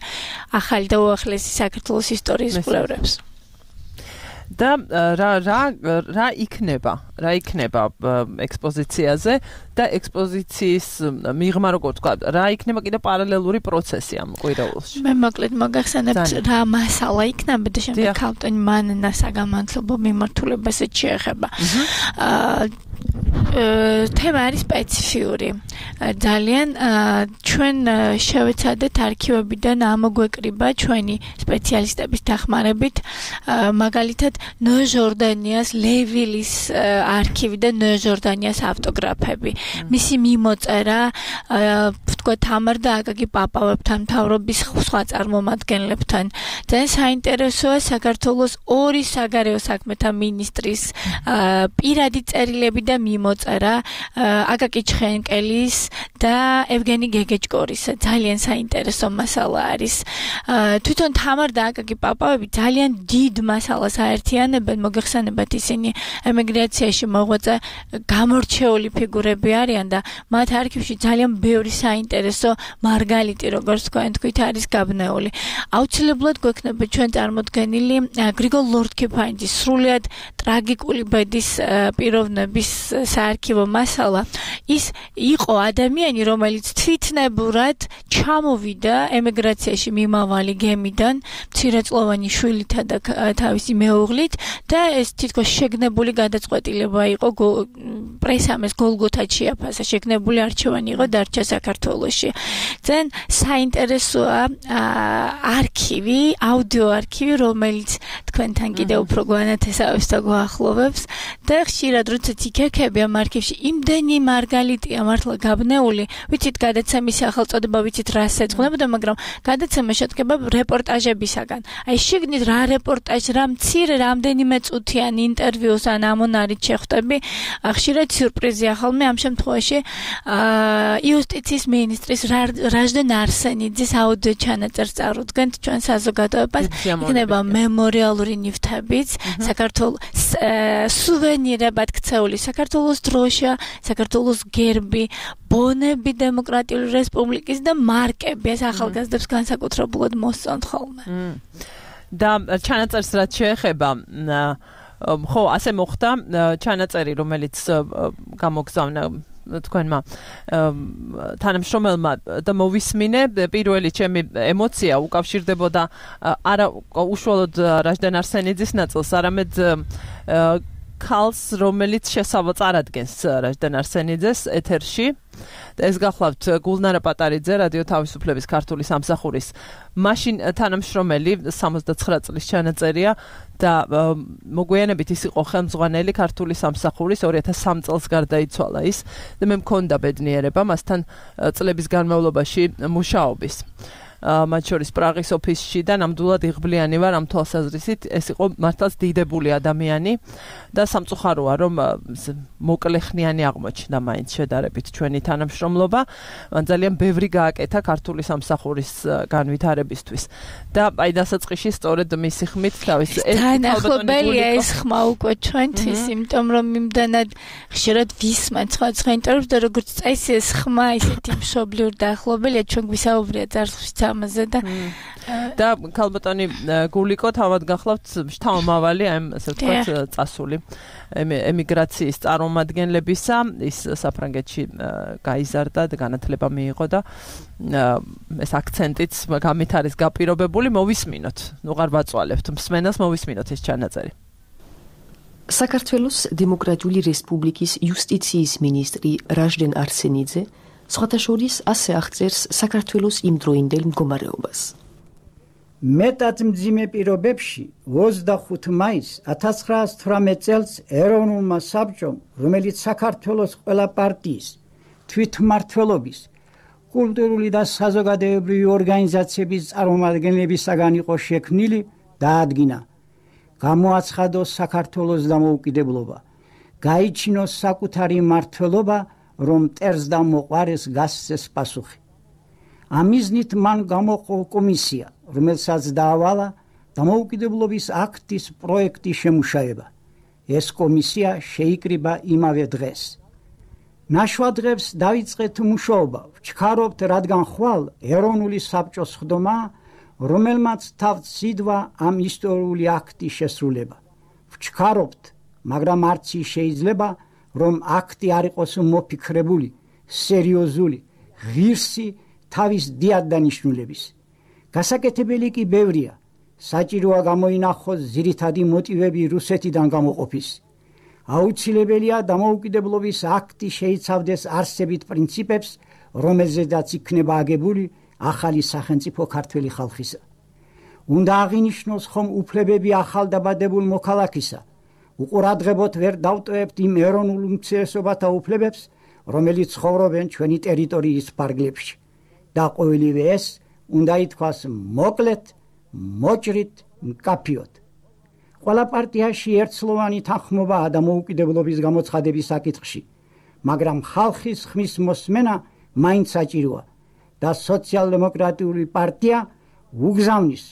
ახალი და უახლესი საქართველოს ისტორიის კვლევრებს. და რა რა რა იქნება რა იქნება ექსპოზიციაზე და ექსპოზიციის მიღმა როგორ თქვა რა იქნება კიდე პარალელური პროცესი ამ კვირეულში. მე მოკლედ მოგახსენებთ რა მასალა იქნება და შემდეგ ქალტონი მანნა საგამართლობო მიმართულებასაც შეეხება. აა თემა არის სპეციფიური. ძალიან ჩვენ შევეცადეთ არქივებიდან ამოგვეკრიბა ჩვენი სპეციალისტების დახმარებით მაგალითად ნოე ჟორდანიას ლევილის არქივი და ნოე ჟორდანიას ავტოგრაფები. მისი მიმოწერა თქვა თამარ და აკაკი პაპავებთან, მთავრობის სხვა წარმომადგენლებთან. ძალიან საინტერესოა საქართველოს ორი საგარეო საქმეთა მინისტრის პირადი წერილები და მიმოწერა აკაკი ჩხენკელის და ევგენი გეგეჭკორის. ძალიან საინტერესო მასალა არის. თვითონ თამარ და აკაკი პაპავები ძალიან დიდ მასალას აერთიანებენ, მოგეხსენებათ ისინი ემიგრაციაში მოღვაწე გამორჩეული ფიგურები არიან და მათ არქივში ძალიან ბევრი საინტერესო მარგალიტი, როგორც თქვენ თქვით, არის გაბნეული. აუცილებლად გვექნება ჩვენ წარმოდგენილი გრიგოლ ლორდ-კიფანიძის სრულიად ტრაგიკული ბედის პიროვნების საარქივო მასალა. ის იყო ადამიანი, რომელიც თვითნებურად ჩამოვიდა ემიგრაციაში მიმავალი გემიდან, მცირეწლოვანი შვილითა და თავისი მეუღლით და ეს თითქოს შეგნებული გადაწყვეტილება იყო პრესამ ეს გოლგოთად შეაფასა, შეგნებული არჩევანი იყო დარჩა საქართველოში. ძალიან საინტერესოა არქივი, აუდიო არქივი, რომელიც თქვენთან კიდევ უფრო გვანათესავებს და გვაახლოვებს და ხშირად როდესაც იქექები ამ არქივში იმდენი მარგალიტია მართლა გაბნეული, ვიცით გადაცემის სახელწოდება, ვიცით რას ეძღვნებოდა, მაგრამ გადაცემა შედგება რეპორტაჟებისაგან. აი შეგნით რა რეპორტაჟი, რა მცირე რამდენიმე წუთიანი ინტერვიუს ან ამონარით შეხვდები, ხშირად სიურპრიზია ხოლმე ამ შემთხვევაში იუსტიციის მინისტრის რაჟდენ არსენიძის აუდიო ჩანაწერს წარუდგენთ ჩვენ საზოგადოებას. იქნება მემორიალური ნივთებიც, საქართველოს სუვენირებად ქცეული საქართველოს დროშა, საქართველოს გერბი, ბონები დემოკრატიული რესპუბლიკის და მარკები, ეს ახალგაზრდებს განსაკუთრებულად მოსწონთ ხოლმე. და ჩანაწერს რაც შეეხება ხო ასე მოხდა ჩანაწერი, რომელიც გამოგზავნა თქვენმა თანამშრომელმა და მოვისმინე პირველი ჩემი ემოცია უკავშირდებოდა არა უშუალოდ რაჟდენ არსენიძის ნაწილს, არამედ ქალს, რომელიც შესავალს წარადგენს რაჟდენ არსენიძეს ეთერში. ეს გახლავთ გულნარა პატარიძე, რადიო თავისუფლების ქართული სამსახურის მაშინ თანამშრომელი, სამოცდაცხრა წლის ჩანაწერია და მოგვიანებით ის იყო ხელმძღვანელი ქართული სამსახურის, ორი ათას სამი წელს გარდაიცვალა ის და მე მქონდა ბედნიერება მასთან წლების განმავლობაში მუშაობის. მათ შორის პრაღის ოფისში და ნამდვილად იღბლიანი ვარ ამ თვალსაზრისით, ეს იყო მართლაც დიდებული ადამიანი და სამწუხაროა, რომ მოკლეხნიანი აღმოჩნდა მაინც შედარებით ჩვენი თანამშრომლობა. მან ძალიან ბევრი გააკეთა ქართული სამსახურის განვითარებისთვის და აი დასაწყისში სწორედ მისი ხმით თავის თანახმობელია ეს ხმა უკვე ჩვენთვის, იმიტომ რომ იმდანად ხშირად ვისმენთ სხვა ინტერვიუს და როგორც წესი ეს ხმა ისეთი მშობლიურ დაახლოებელია, ჩვენ გვისაუბრია წარსულში ამაზე და და ქალბატონი გულიკო თავად გახლავთ შთამომავალი ამ ასე ვთქვათ წასული ემიგრაციის წარმომადგენლებისა ის საფრანგეთში გაიზარდა და განათლება მიიღო და ეს აქცენტიც გამით არის გაპირობებული მოვისმინოთ ნუ აღარ ვაწვალებთ მსმენელს მოვისმინოთ ეს ჩანაწერი საქართველოს დემოკრატიული რესპუბლიკის იუსტიციის მინისტრი რაჟდენ არსენიძე სხვათა შორის ასე აღწერს საქართველოს იმდროინდელ მდგომარეობას. მეტად მძიმე პირობებში ოცდახუთი მაისს ათას ცხრაასი თვრამეტ წელს ეროვნულმა საბჭომ, რომელიც საქართველოს ყველა პარტიის, თვითმმართველობის, კულტურული და საზოგადოებრივი ორგანიზაციების წარმომადგენლებისაგან იყო შექმნილი, დაადგინა, გამოაცხადოს საქართველოს დამოუკიდებლობა, გაიჩინოს საკუთარი მმართველობა, რომ მტერს და მოყვარეს გასცეს პასუხი. ამიზნით მან გამოყო კომისია, რომელსაც დაავალა დამოუკიდებლობის აქტის პროექტის შემუშავება. ეს კომისია შეიკრიბა იმავე დღეს. ნაშვადღებს დაიწყეთ მუშაობა, ვჩქარობთ, რადგან ხვალ ეროვნული საბჭოს ხდომა, რომელმაც თავთ სიდვა ამ ისტორიული აქტის შესრულება. ვჩქარობთ, მაგრამ არც ის შეიძლება, რომ აქტი არ იყოს მოფიქრებული, სერიოზული, ღირსი თავის დიად დანიშნულების. გასაკეთებელი კი ბევრია. საჭიროა გამოინახოს ძირითადი მოტივები რუსეთიდან გამოყოფის. აუცილებელია დამოუკიდებლობის აქტი შეიცავდეს არსებით პრინციპებს, რომელზედაც იქნება აგებული ახალი სახელმწიფო ქართველი ხალხისა. უნდა აღინიშნოს ხომ უფლებები ახალდაბადებულ მოქალაქისა. უყურადღებოდ ვერ დავტოვებთ იმ ეროვნულ უმცირესობათა უფლებებს, რომელიც ცხოვრობენ ჩვენი ტერიტორიის ფარგლებში. და ყოველივე ეს უნდა ითქვას მოკლედ, მოჭრით, მკაფიოდ. ყველა პარტიაში ერთსლოვანი თანხმობაა დამოუკიდებლობის გამოცხადების საკითხში, მაგრამ ხალხის ხმის მოსმენა მაინც საჭიროა და სოციალ-დემოკრატიული პარტია უგზავნის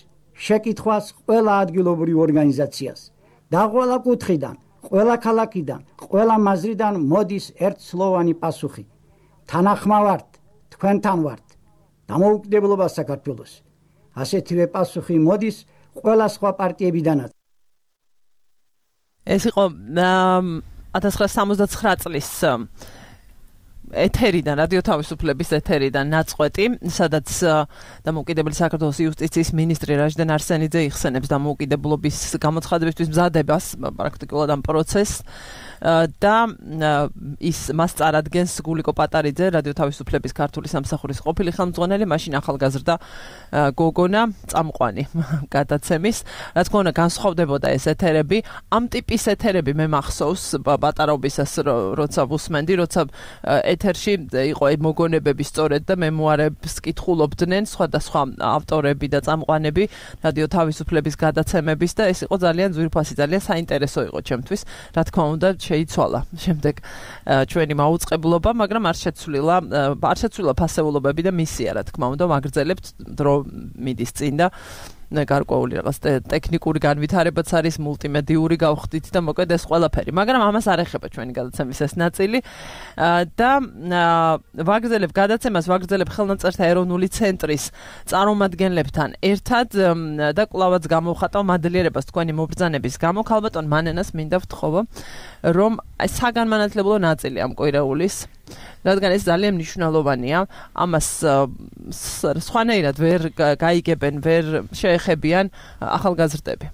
შეკითხვას ყველა ადგილობრივ ორგანიზაციას და ყველა კუთხიდან, ყველა ქალაქიდან, ყველა მაზრიდან მოდის ერთსლოვანი პასუხი. თანახმავართ, თქვენთან ვართ. დამოუკიდებლობა საქართველოს. ასეთივე პასუხი მოდის ყველა სხვა პარტიებიდანაც. ეს იყო ათას ცხრაასი სამოცდაცხრა წლის ეთერიდან, რადიო თავისუფლების ეთერიდან ნაწყვეტი, სადაც დამოუკიდებელი საქართველოს იუსტიციის მინისტრი რაჟდენ არსენიძე იხსენებს დამოუკიდებლობის გამოცხადებისთვის მზადებას, პრაქტიკულად ამ პროცესს. და ის მას წარადგენს გულიკო პატარიძე, რადიო თავისუფლების ქართული სამსახურის ყოფილი ხელმძღვანელი, მაშინ ახალგაზრდა გოგონა წამყვანი გადაცემის. რა თქმა უნდა, განსხვავდებოდა ეს ეთერები. ამ ტიპის ეთერები მე მახსოვს პატარობისას, როცა ვუსმენდი, როცა ეთერში იყო მოგონებები სწორედ და მემუარებს კითხულობდნენ სხვადასხვა ავტორები და წამყვანები რადიო თავისუფლების გადაცემების და ეს იყო ძალიან ძვირფასი, ძალიან საინტერესო იყო ჩემთვის. რა თქმა უნდა, შეიცვალა შემდეგ ჩვენი მაუწყებლობა, მაგრამ არ შეცვლილა, არ შეცვლილა ფასეულობები და მისია, რა თქმა უნდა, ვაგრძელებთ დრო მიდის წინ და გარკვეული რაღაც ტექნიკური განვითარებაც არის, მულტიმედიური გავხდით და მოკლედ ეს ყველაფერი, მაგრამ ამას არ ეხება ჩვენი გადაცემის ეს ნაწილი და ვაგრძელებ გადაცემას, ვაგრძელებ ხელნაწერთა ეროვნული ცენტრის წარმომადგენლებთან ერთად და კვლავაც გამოვხატავ მადლიერებას თქვენი მობრძანების გამო. ქალბატონ მანენას მინდა ვთხოვო, რომ საგანმანათლებლო ნაწილი ამ კვირაულის, რადგან ეს ძალიან მნიშვნელოვანია, ამას სხვანაირად ვერ გაიგებენ, ვერ შეეხებიან ახალგაზრდები.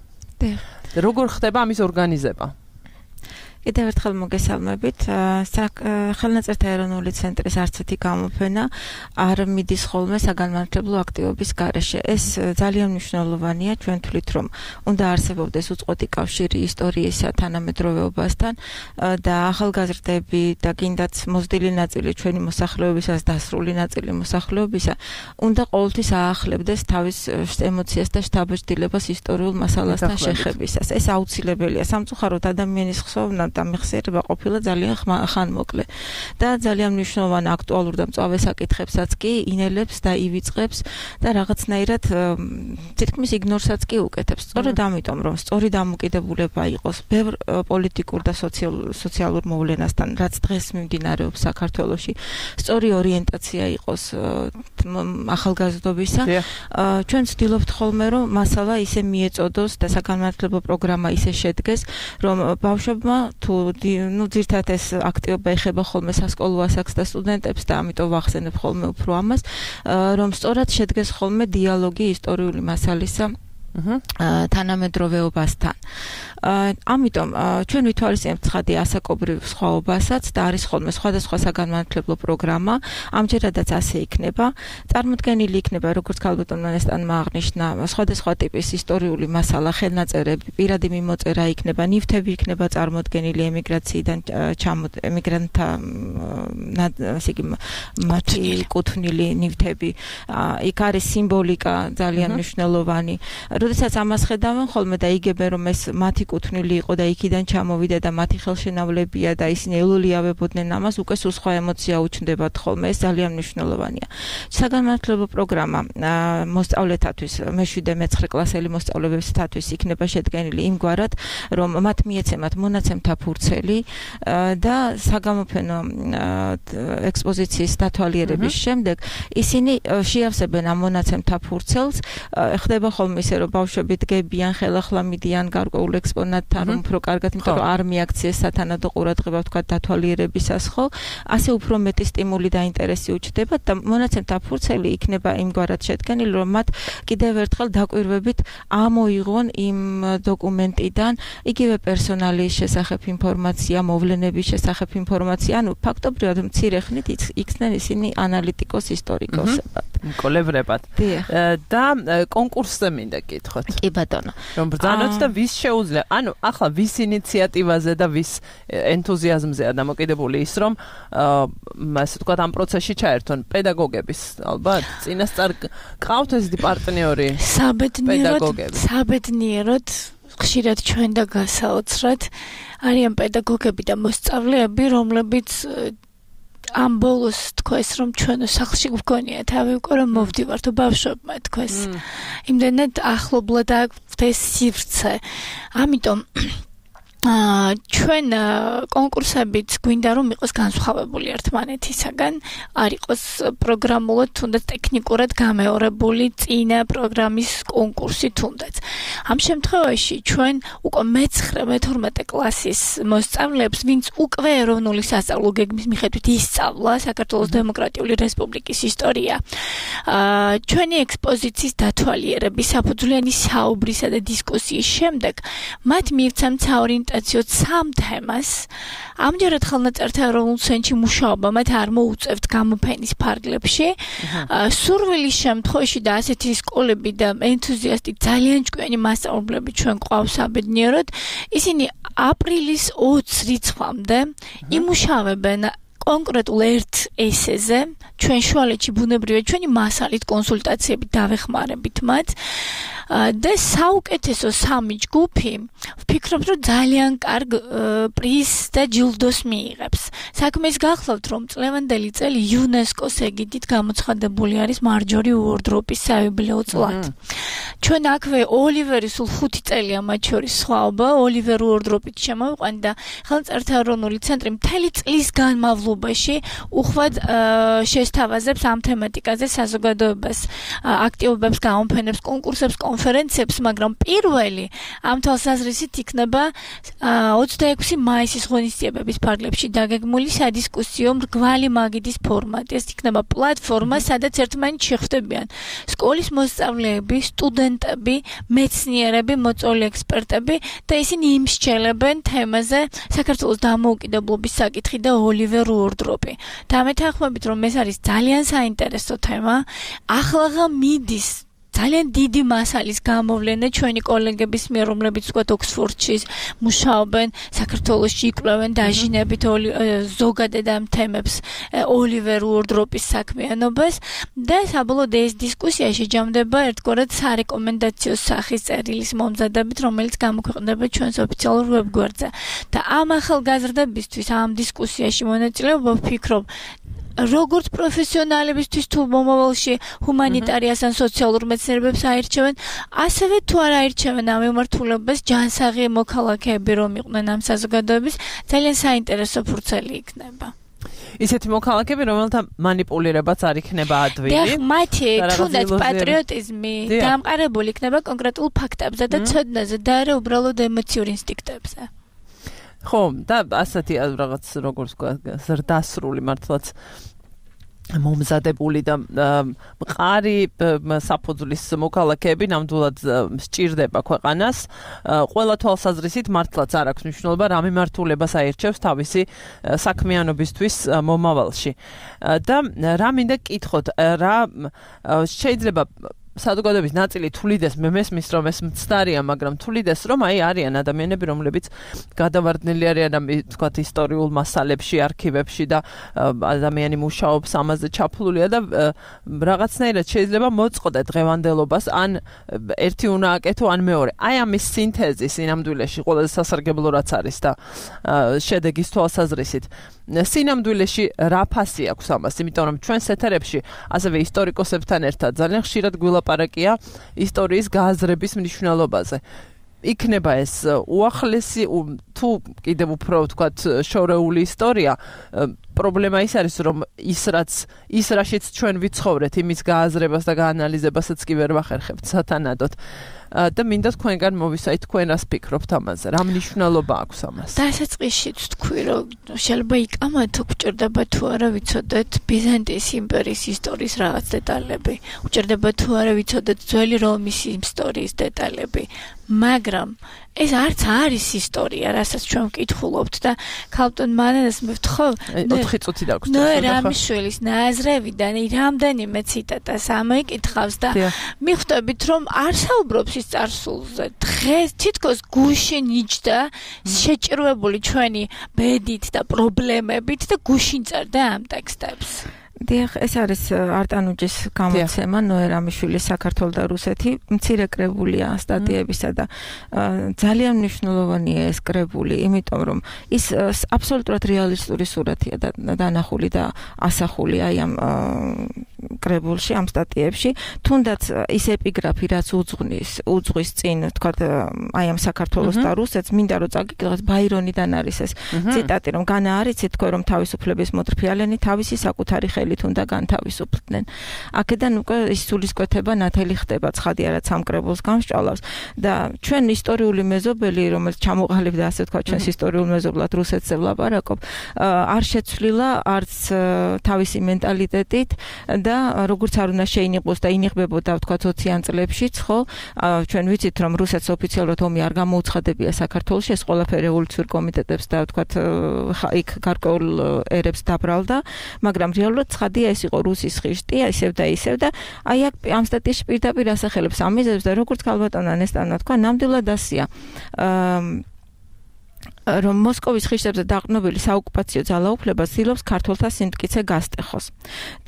როგორ ხდება ამის ორგანიზება? კიდევ ერთხელ მოგესალმებით. ხელნაწერთა ეროვნული ცენტრის არცეთი გამოფენა არ მიდის ხოლმე საგანმანათლებლო აქტივობის გარეშე. ეს ძალიან მნიშვნელოვანია, ჩვენ თვლით, რომ უნდა არსებობდეს უწყვეტი კავშირი ისტორიისა თანამედროვეობასთან და ახალგაზრდები და კიდაც მოზრდილი ნაწილი ჩვენი მოსახლეობისას, დასრული ნაწილი მოსახლეობისა უნდა ყოველთვის აახლებდეს თავის ემოციას და შთაბეჭდილებას ისტორიულ მასალასთან შეხებისას. ეს აუცილებელია. სამწუხაროდ ადამიანის ხსოვნა დამიხსიერება ყოფილა ძალიან ხანმოკლე და ძალიან მნიშვნელოვანი აქტუალურ და მწვავე საკითხებსაც კი ინელებს და ივიწყებს და რაღაცნაირად თითქმის იგნორსაც კი უკეთებს. სწორედ ამიტომ რომ სწორი დამოკიდებულება იყოს ბევრ პოლიტიკურ და სოციალურ მოვლენასთან, რაც დღეს მიმდინარეობს საქართველოში, სწორი ორიენტაცია იყოს ახალგაზრდობისა, ჩვენ ვცდილობთ ხოლმე რომ მასალა ისე მიეწოდოს და საგანმანათლებლო პროგრამა ისე შედგეს, რომ ბავშვებმა თუ ნუ ძირთადად ეს აქტივობა ეხება ხოლმე სასკოლო ასაკს და სტუდენტებს და ამიტომ ვახსენებ ხოლმე უფრო ამას, რომ სწორად შედგეს ხოლმე დიალოგი ისტორიული მასალისა თანამედროვეობასთან. ამიტომ ჩვენ ვითვალისწინებთ ცხადი ასაკობრივ სხვაობასაც და არის ხოლმე სხვადასხვა საგანმანათლებლო პროგრამა, ამჯერადაც ასე იქნება. წარმოდგენილი იქნება, როგორც ქალბატონმა ნესტანმა აღნიშნა, სხვადასხვა ტიპის ისტორიული მასალა, ხელნაწერები, პირადი მიმოწერა იქნება, ნივთები იქნება წარმოდგენილი ემიგრაციიდან ჩამოდ ემიგრანტთა ასე იგი მათი კუთვნილი ნივთები. იქ არის სიმბოლიკა ძალიან მნიშვნელოვანი. როდესაც ამას ხედავენ ხოლმე და იგებენ რომ ეს მათი კუთვნილი იყო და იქიდან ჩამოვიდა და მათი ხელშენავლებია და ისინი ელოლიავებოდნენ ამას, უკვე სულ სხვა ემოცია უჩნდებათ ხოლმე, ეს ძალიან მნიშვნელოვანია. საგანმანათლებლო პროგრამა მოსწავლეთათვის, მეშვიდე მეცხრე კლასელი მოსწავლეებისათვის იქნება შედგენილი იმგვარად, რომ მათ მიეცემათ მონაცემთა ფურცელი და საგამოფენო ექსპოზიციის დათვალიერების შემდეგ ისინი შეავსებენ ამ მონაცემთა ფურცელს, ხდება ხოლმე ისე რომ ბავშვები დგებიან, ხელახლა მიდიან გარკვეულ ექსპონატთან, რომ უფრო კარგად, იმიტომ რომ არ მიაქციეს სათანადო ყურადღება თქვა დათვალიერებისას ხო, ასე უფრო მეტი სტიმული და ინტერესი უჩნდებათ და მონაცემთა ფურცელი იქნება იმგვარად შედგენილი, რომ მათ კიდევ ერთხელ დაკვირვებით ამოიღონ იმ დოკუმენტიდან იგივე პერსონალის შესახებ ინფორმაცია, მოვლენების შესახებ ინფორმაცია, ანუ ფაქტობრივად მცირე ხნით იქცნენ ისინი ანალიტიკოს ისტორიკოსებად. კოლევრებად. და კონკურსზე მინდა კითხოთ. კი ბატონო. რომ ბრძანოთ და ვის შეუძლია, ანუ ახლა ვის ინიციატივაზე და ვის ენთუზიაზმზეა დამოკიდებული ის, რომ ასე ვთქვათ ამ პროცესში ჩაერთონ პედაგოგების, ალბათ, წინასწარ ყავთ ეს პარტნიორი საბედნიეროდ, საბედნიეროდ ხშირად ჩვენ და გასაოცრად არიან პედაგოგები და მოსწავლეები, რომლებიც ამ ბოლოს თქვეს რომ ჩვენო სახლში გვგონია თავი უკვე რომ მოვდივართ ბავშვებმა თქვეს იმდენად ახლობლად აქვს ეს სივრცე ამიტომ აა ჩვენ კონკურსებით გვინდა რომ იყოს განსხვავებული ერთმანეთისაგან არ იყოს პროგრამულად თუნდაც ტექნიკურად გამეორებული წინა პროგრამის კონკურსი თუნდაც ამ შემთხვევაში ჩვენ უკვე მეცხრე მეთორმეტე კლასის მოსწავლეებს ვინც უკვე ეროვნული სასწავლო გეგმის მიხედვით ისწავლა საქართველოს დემოკრატიული რესპუბლიკის ისტორია აა ჩვენი ექსპოზიციის დათვალიერების საფუძვლიანი საუბრისა და დისკუსიის შემდეგ მათ მივცემთ საორიენტაციო სამ თემას ამჯერად ხელნაწერთა ეროვნულ ცენტრში მუშაობა მათ არ მოუწევთ გამოფენის ფარგლებში სურვილის შემთხვევაში და ასეთი სკოლები და ენთუზიასტი ძალიან ჭკვიანი მასწავლებლები ჩვენ გვყავს საბედნიეროდ ისინი აპრილის ოცი რიცხვამდე იმუშავებენ კონკრეტულ ერთ ესეზე ჩვენ შუალედში ბუნებრივია ჩვენი მასალით კონსულტაციებით დავეხმარებით მათ და საუკეთესო სამი ჯგუფი ვფიქრობ რომ ძალიან კარგ პრიზს და ჯილდოს მიიღებს საქმეს გახლავთ რომ წლევანდელი წელი იუნესკოს ეგიდით გამოცხადებული არის მარჯორი უორდროპის საიუბილეო წლად ჩვენ აქვე ოლივერის სულ ხუთი წელია მათ შორის სხვაობა ოლივერ უორდროპით შემოვიყვანდა ხელნაწერთა ეროვნული ცენტრი მთელი წლის განმავლობაში უხვად შესთავაზებს ამ თემატიკაზე საზოგადოებას აქტივობებს გამოფენებს კონკურსებს კონფერენციებს მაგრამ პირველი ამ თვალსაზრისით იქნება ოცდაექვსი მაისის ღონისძიებების ფარგლებში დაგეგმული სადისკუსიო მრგვალი მაგიდის ფორმატი ეს იქნება პლატფორმა სადაც ერთმანეთს შეხვდებიან სკოლის მოსწავლეები სტუდენტები მეცნიერები მოწვეული ექსპერტები და ისინი იმსჯელებენ თემაზე საქართველოს დამოუკიდებლობის საკითხი და ოლივერ უორდროპი და მეთანხმებით რომ ეს არის ძალიან საინტერესო თემა ახლა მიდის ძალიან დიდი მასალის გამოვლენა ჩვენი კოლეგების მიერ, რომლებიც ვთქვათ ოქსფორდში მუშაობენ, საქართველოში იკვლევენ დაჟინებით ზოგადად ამ თემებს ოლივერ უორდროპის საქმიანობას და საბოლოოდ ეს დისკუსია შეჯამდება ერთგვარად სარეკომენდაციო სახის წერილის მომზადებით, რომელიც გამოქვეყნდება ჩვენს ოფიციალურ ვებგვერდზე. და ამ ახალგაზრდებისთვის ამ დისკუსიაში მონაწილეობა ვფიქრობ როგორც პროფესიონალებისთვის თუ მომავალში ჰუმანიტარიას ან სოციალურ მეცნიერებებს აირჩევენ, ასევე თუ არ აირჩევენ ამ მიმართულებას ჯანსაღი მოქალაქეები რომ იყვნენ ამ საზოგადოების, ძალიან საინტერესო ფურცელი იქნება. ისეთი მოქალაქეები, რომელთა манипуლირებაც არ იქნება ადვილი. და მათი თუნდაც პატრიოტიზმი დამყარებული იქნება კონკრეტულ ფაქტებზე და ცოდნაზე და არა უბრალოდ ემოციურ ინსტინქტებზე. ხო, და ასეთი რაღაც როგორც ზრდასრული მართლაც მომზადებული და მყარი საფუძვლის მოქალაქეები ნამდვილად სჭირდება ქვეყანას. ყველა თვალსაზრისით მართლაც არ აქვს მნიშვნელობა რა მიმართულებას აირჩევს თავისი საქმიანობისთვის მომავალში. და რა მინდა კითხოთ, რა შეიძლება საზოგადოების ნაწილი თulides მე მესმის რომ ეს მცდარია, მაგრამ თulides რომ აი არიან ადამიანები, რომლებიც გადავარდნილი არიან ამ თქვათ ისტორიულ მასალებში, არქივებში და ადამიანი მუშაობს ამაზე ჩაფლულია და რაღაცნაირად შეიძლება მოწყოდე დღევანდელობას, ან ერთი უნდა აკეთო, ან მეორე. აი ამის სინთეზი სინამდვილეში ყველაზე სასარგებლო რაც არის და შედეგის თვალსაზრისით სინამდვილეში რა ფასი აქვს ამას, იმიტომ რომ ჩვენს ეთერებში ასევე ისტორიკოსებთან ერთად ძალიან ხშირად გვილაპარაკია ისტორიის გააზრების მნიშვნელობაზე. იქნება ეს უახლესი თუ კიდევ უფრო ვთქვათ შორეული ისტორია, პრობლემა ის არის რომ ის რაც ის რაშიც ჩვენ ვიცხოვრეთ, იმის გააზრებას და გაანალიზებასაც კი ვერ ვახერხებთ სათანადოდ. და მინდა თქვენგან მოვისაით, თქვენ რას ფიქრობთ ამაზე, რა მნიშვნელობა აქვს ამას? დასაწყისშიც თქვი, რომ შეიძლება იკამათო გვჭირდება თუ არა ვიცოდეთ ბიზანტიის იმპერიის ისტორიის რაღაც დეტალები, უჭირდება თუ არა ვიცოდეთ ძველი რომის ისტორიის დეტალები, მაგრამ ეს არც არის ისტორია, რასაც ჩვენ ვკითხულობთ და ქალბატონ მანანას მე ვთხოვ, ოთხი წუთი დაგვს. ნუ რამიშვილის ნაზრევიდან რამდენიმე ციტატას ამოიკითხავს და მიხვდებით რომ არ საუბრობს ის წარსულზე. დღეს თითქოს გუშინ იჯდა შეჭირვებული ჩვენი ბედით და პრობლემებით და გუშინ წერდა ამ ტექსტებს. დიახ, ეს არის არტანუჯის გამოცემა ნოერამიშვილის საქართველო და რუსეთი, მცირე კრებულია სტატიებისა და ძალიან მნიშვნელოვანია ეს კრებული, იმიტომ რომ ის აბსოლუტურად რეალისტური სურათია დანახული და ასახული აი ამ კრებულში, ამ სტატიებში, თუნდაც ის ეპიგრაფი, რაც უძღვნის, უძღვის წინ, თქვათ, აი ამ საქართველოს და რუსეთს, მინდა რომ წაგიკითხოთ, ბაირონიდან არის ეს ციტატი, რომ განა არიცით თქვენ რომ თავისუფლების მოტრფიალენი თავისი საკუთარი ხელით უნდა განთავისუფლდნენ. აქედან უკვე ის სულისკვეთება ნათელი ხდება, ცხადი არა სამ კრებულს გამსჭვალავს და ჩვენ ისტორიული მეზობელი, რომელიც ჩამოყალიბდა ასე თქვა ჩვენს ისტორიულ მეზობლად რუსეთზე ვლაპარაკობ, არ შეცვლილა არც თავისი მენტალიტეტით და როგორც არ უნდა შეინიყოს და ინიღბებოდა თქვა ოციან წლებშიც, ხო? ჩვენ ვიცით რომ რუსეთს ოფიციალურად ომი არ გამოუცხადებია საქართველოში, ეს ყველაფერი რევოლუციურ კომიტეტებს და თქვა იქ გარკვეულ ერებს დაბრალდა, მაგრამ რეალურად ცხადია ეს იყო რუსის ხიშტი, ისევ და ისევ და აი აქ ამ სტატიაში პირდაპირ ასახელებს ამ მიზეზებს და როგორც ქალბატონმა ნესტანმა თქვა, ნამდვილად ასია. რომ მოსკოვის ხიშტებზე დაყრდნობილი საოკუპაციო ძალაუფლება ცდილობს ქართველთა სიმტკიცე გასტეხოს.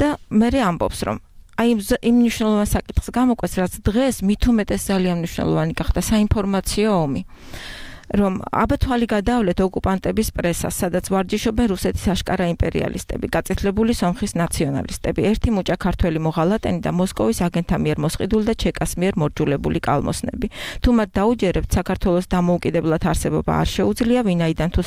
და მე ამბობს რომ აი იმ მნიშვნელოვან საკითხს გამოკვეთს, რაც დღეს მით უმეტეს ძალიან მნიშვნელოვანი გახდა საინფორმაციო ომი. რომ აბათვალი გადავლეთ ოკუპანტების პრესას, სადაც ვარჯიშობენ რუსეთის აშკარა იმპერიალისტები, გაწითლებული სომხის ნაციონალისტები, ერთი მუჭა ქართველი მოღალატენი და მოსკოვის აგენტთა მიერ მოსყიდული და ჩეკას მიერ მორჯულებული კალმოსნები. თუ მათ დაუჯერებთ, საქართველოს დამოუკიდებლად არსებობა არ შეუძლია, ვინაიდან თუ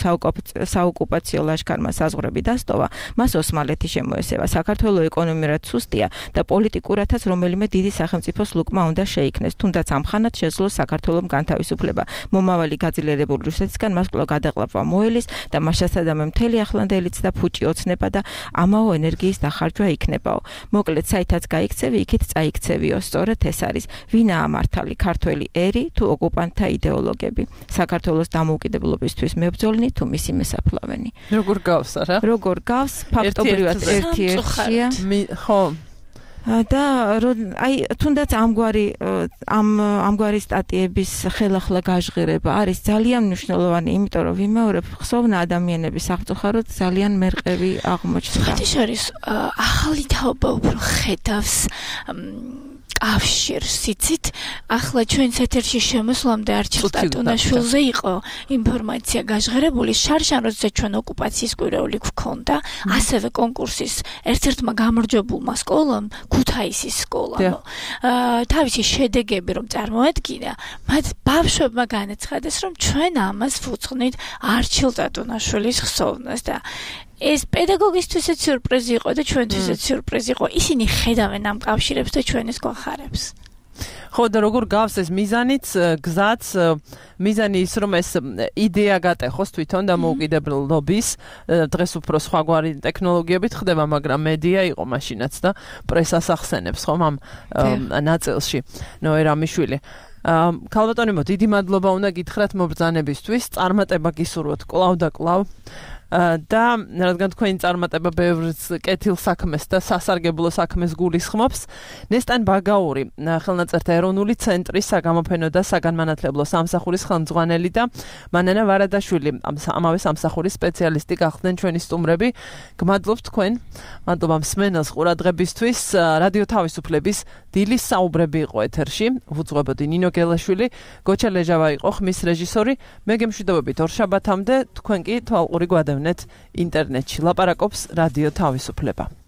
საოკუპაციო ლაშქარმა საზღვრები დასტოვა, მას ოსმალეთი შემოესება. საქართველოს ეკონომიურად სუსტია და პოლიტიკურათაც რომელიმე დიდი სახელმწიფოს ლუკმა უნდა შეიქმნეს, თუნდაც ამხანად შეძლოს საქართველოს განთავისუფლება. მომავალი გაძლიერებული რუსეთისგან მას კვლავ გადაყლაპვა მოელის და მასშტაბად მთელი ახლანდელიც და ფუჭი ოცნება და ამაო ენერგიის დახარჯვა იქნებაო. მოკლედ, საითაც გაიქცევი, იქით წაიქცევიო. სწორედ ეს არის ვინაა მართალი, ქართველი ერი თუ ოკუპანტთა იდეოლოგები. საქართველოს დამოუკიდებლობისთვის მებრძოლნი თუ მისი მოსაფლავენი. როგორ გავს არა? როგორ გავს? ფაქტობრივად ერთი ერთია. ხო. და აი თუნდაც ამგვარი ამ ამგვარი სტატიების ხელახლა გაჟღერება არის ძალიან მნიშვნელოვანი, იმიტომ რომ ვიმეორებ ხსოვნა ადამიანების აღწუხაროდ ძალიან მერყევი აღმოჩნდა. ეს არის ახალი თაობა უფრო ხედავს კავშირს, იცით? ახლა ჩვენს ეთერში შემოსვლამდე არჩილ ტატუნაშვილზე იყო ინფორმაცია გაჟღერებული, შარშან როცა ჩვენ ოკუპაციის კვირეული გვქონდა, ასევე კონკურსის ერთ-ერთმა გამარჯვებულმა სკოლამ, ქუთაისის სკოლამ, თავისი შედეგები რომ წარმოედგინა, მათ ბავშვებმა განაცხადეს, რომ ჩვენ ამას ვუძღვნით არჩილ ტატუნაშვილის ხსოვნას და ეს პედაგოგისთვისაც სიურპრიზი იყო და ჩვენთვისაც სიურპრიზი იყო. ისინი ხედავენ ამ კავშირებს და ჩვენ ეს გვახარებს. ხო და როგორ გავს ეს მიზანიც, გზაც, მიზანი ის რომ ეს იდეა გატეხოს თვითონ და მოუკიდებლობის, დღეს უფრო სხვაგვარი ტექნოლოგიებით ხდება, მაგრამ მედია იყო მაშინაც და პრესას ახსენებს ხომ ამ ნაწილში. ნოე რამიშვილი. ქალბატონებო, დიდი მადლობა უნდა გითხრათ მობრძანებისთვის, წარმატება გისურვოთ კლავ და კლავ. და რადგან თქვენი წარმატება ბევრ კეთილ საქმეს და სასარგებლო საქმეს გულისხმობს, ნესტან ბაგაური, ხელნაწერთა ეროვნული ცენტრის საგამოფენო და საგანმანათლებლო სამსახურის ხელმძღვანელი და მანანა ვარადაშვილი, ამავე სამსახურის სპეციალისტი გახდნენ ჩვენი სტუმრები. გმადლობთ თქვენ, მადლობა მსმენელს ყურადღებისთვის. რადიო თავისუფლების დილის საუბრები იყო ეთერში, უძღვებოდი ნინო გელაშვილი, გოჩა ლეჟავა იყო ხმის რეჟისორი. მე გემშვიდობებით ორშაბათამდე, თქვენ კი თვალყური გვადევნეთ ინტერნეტში. ლაპარაკობს რადიო თავისუფლება.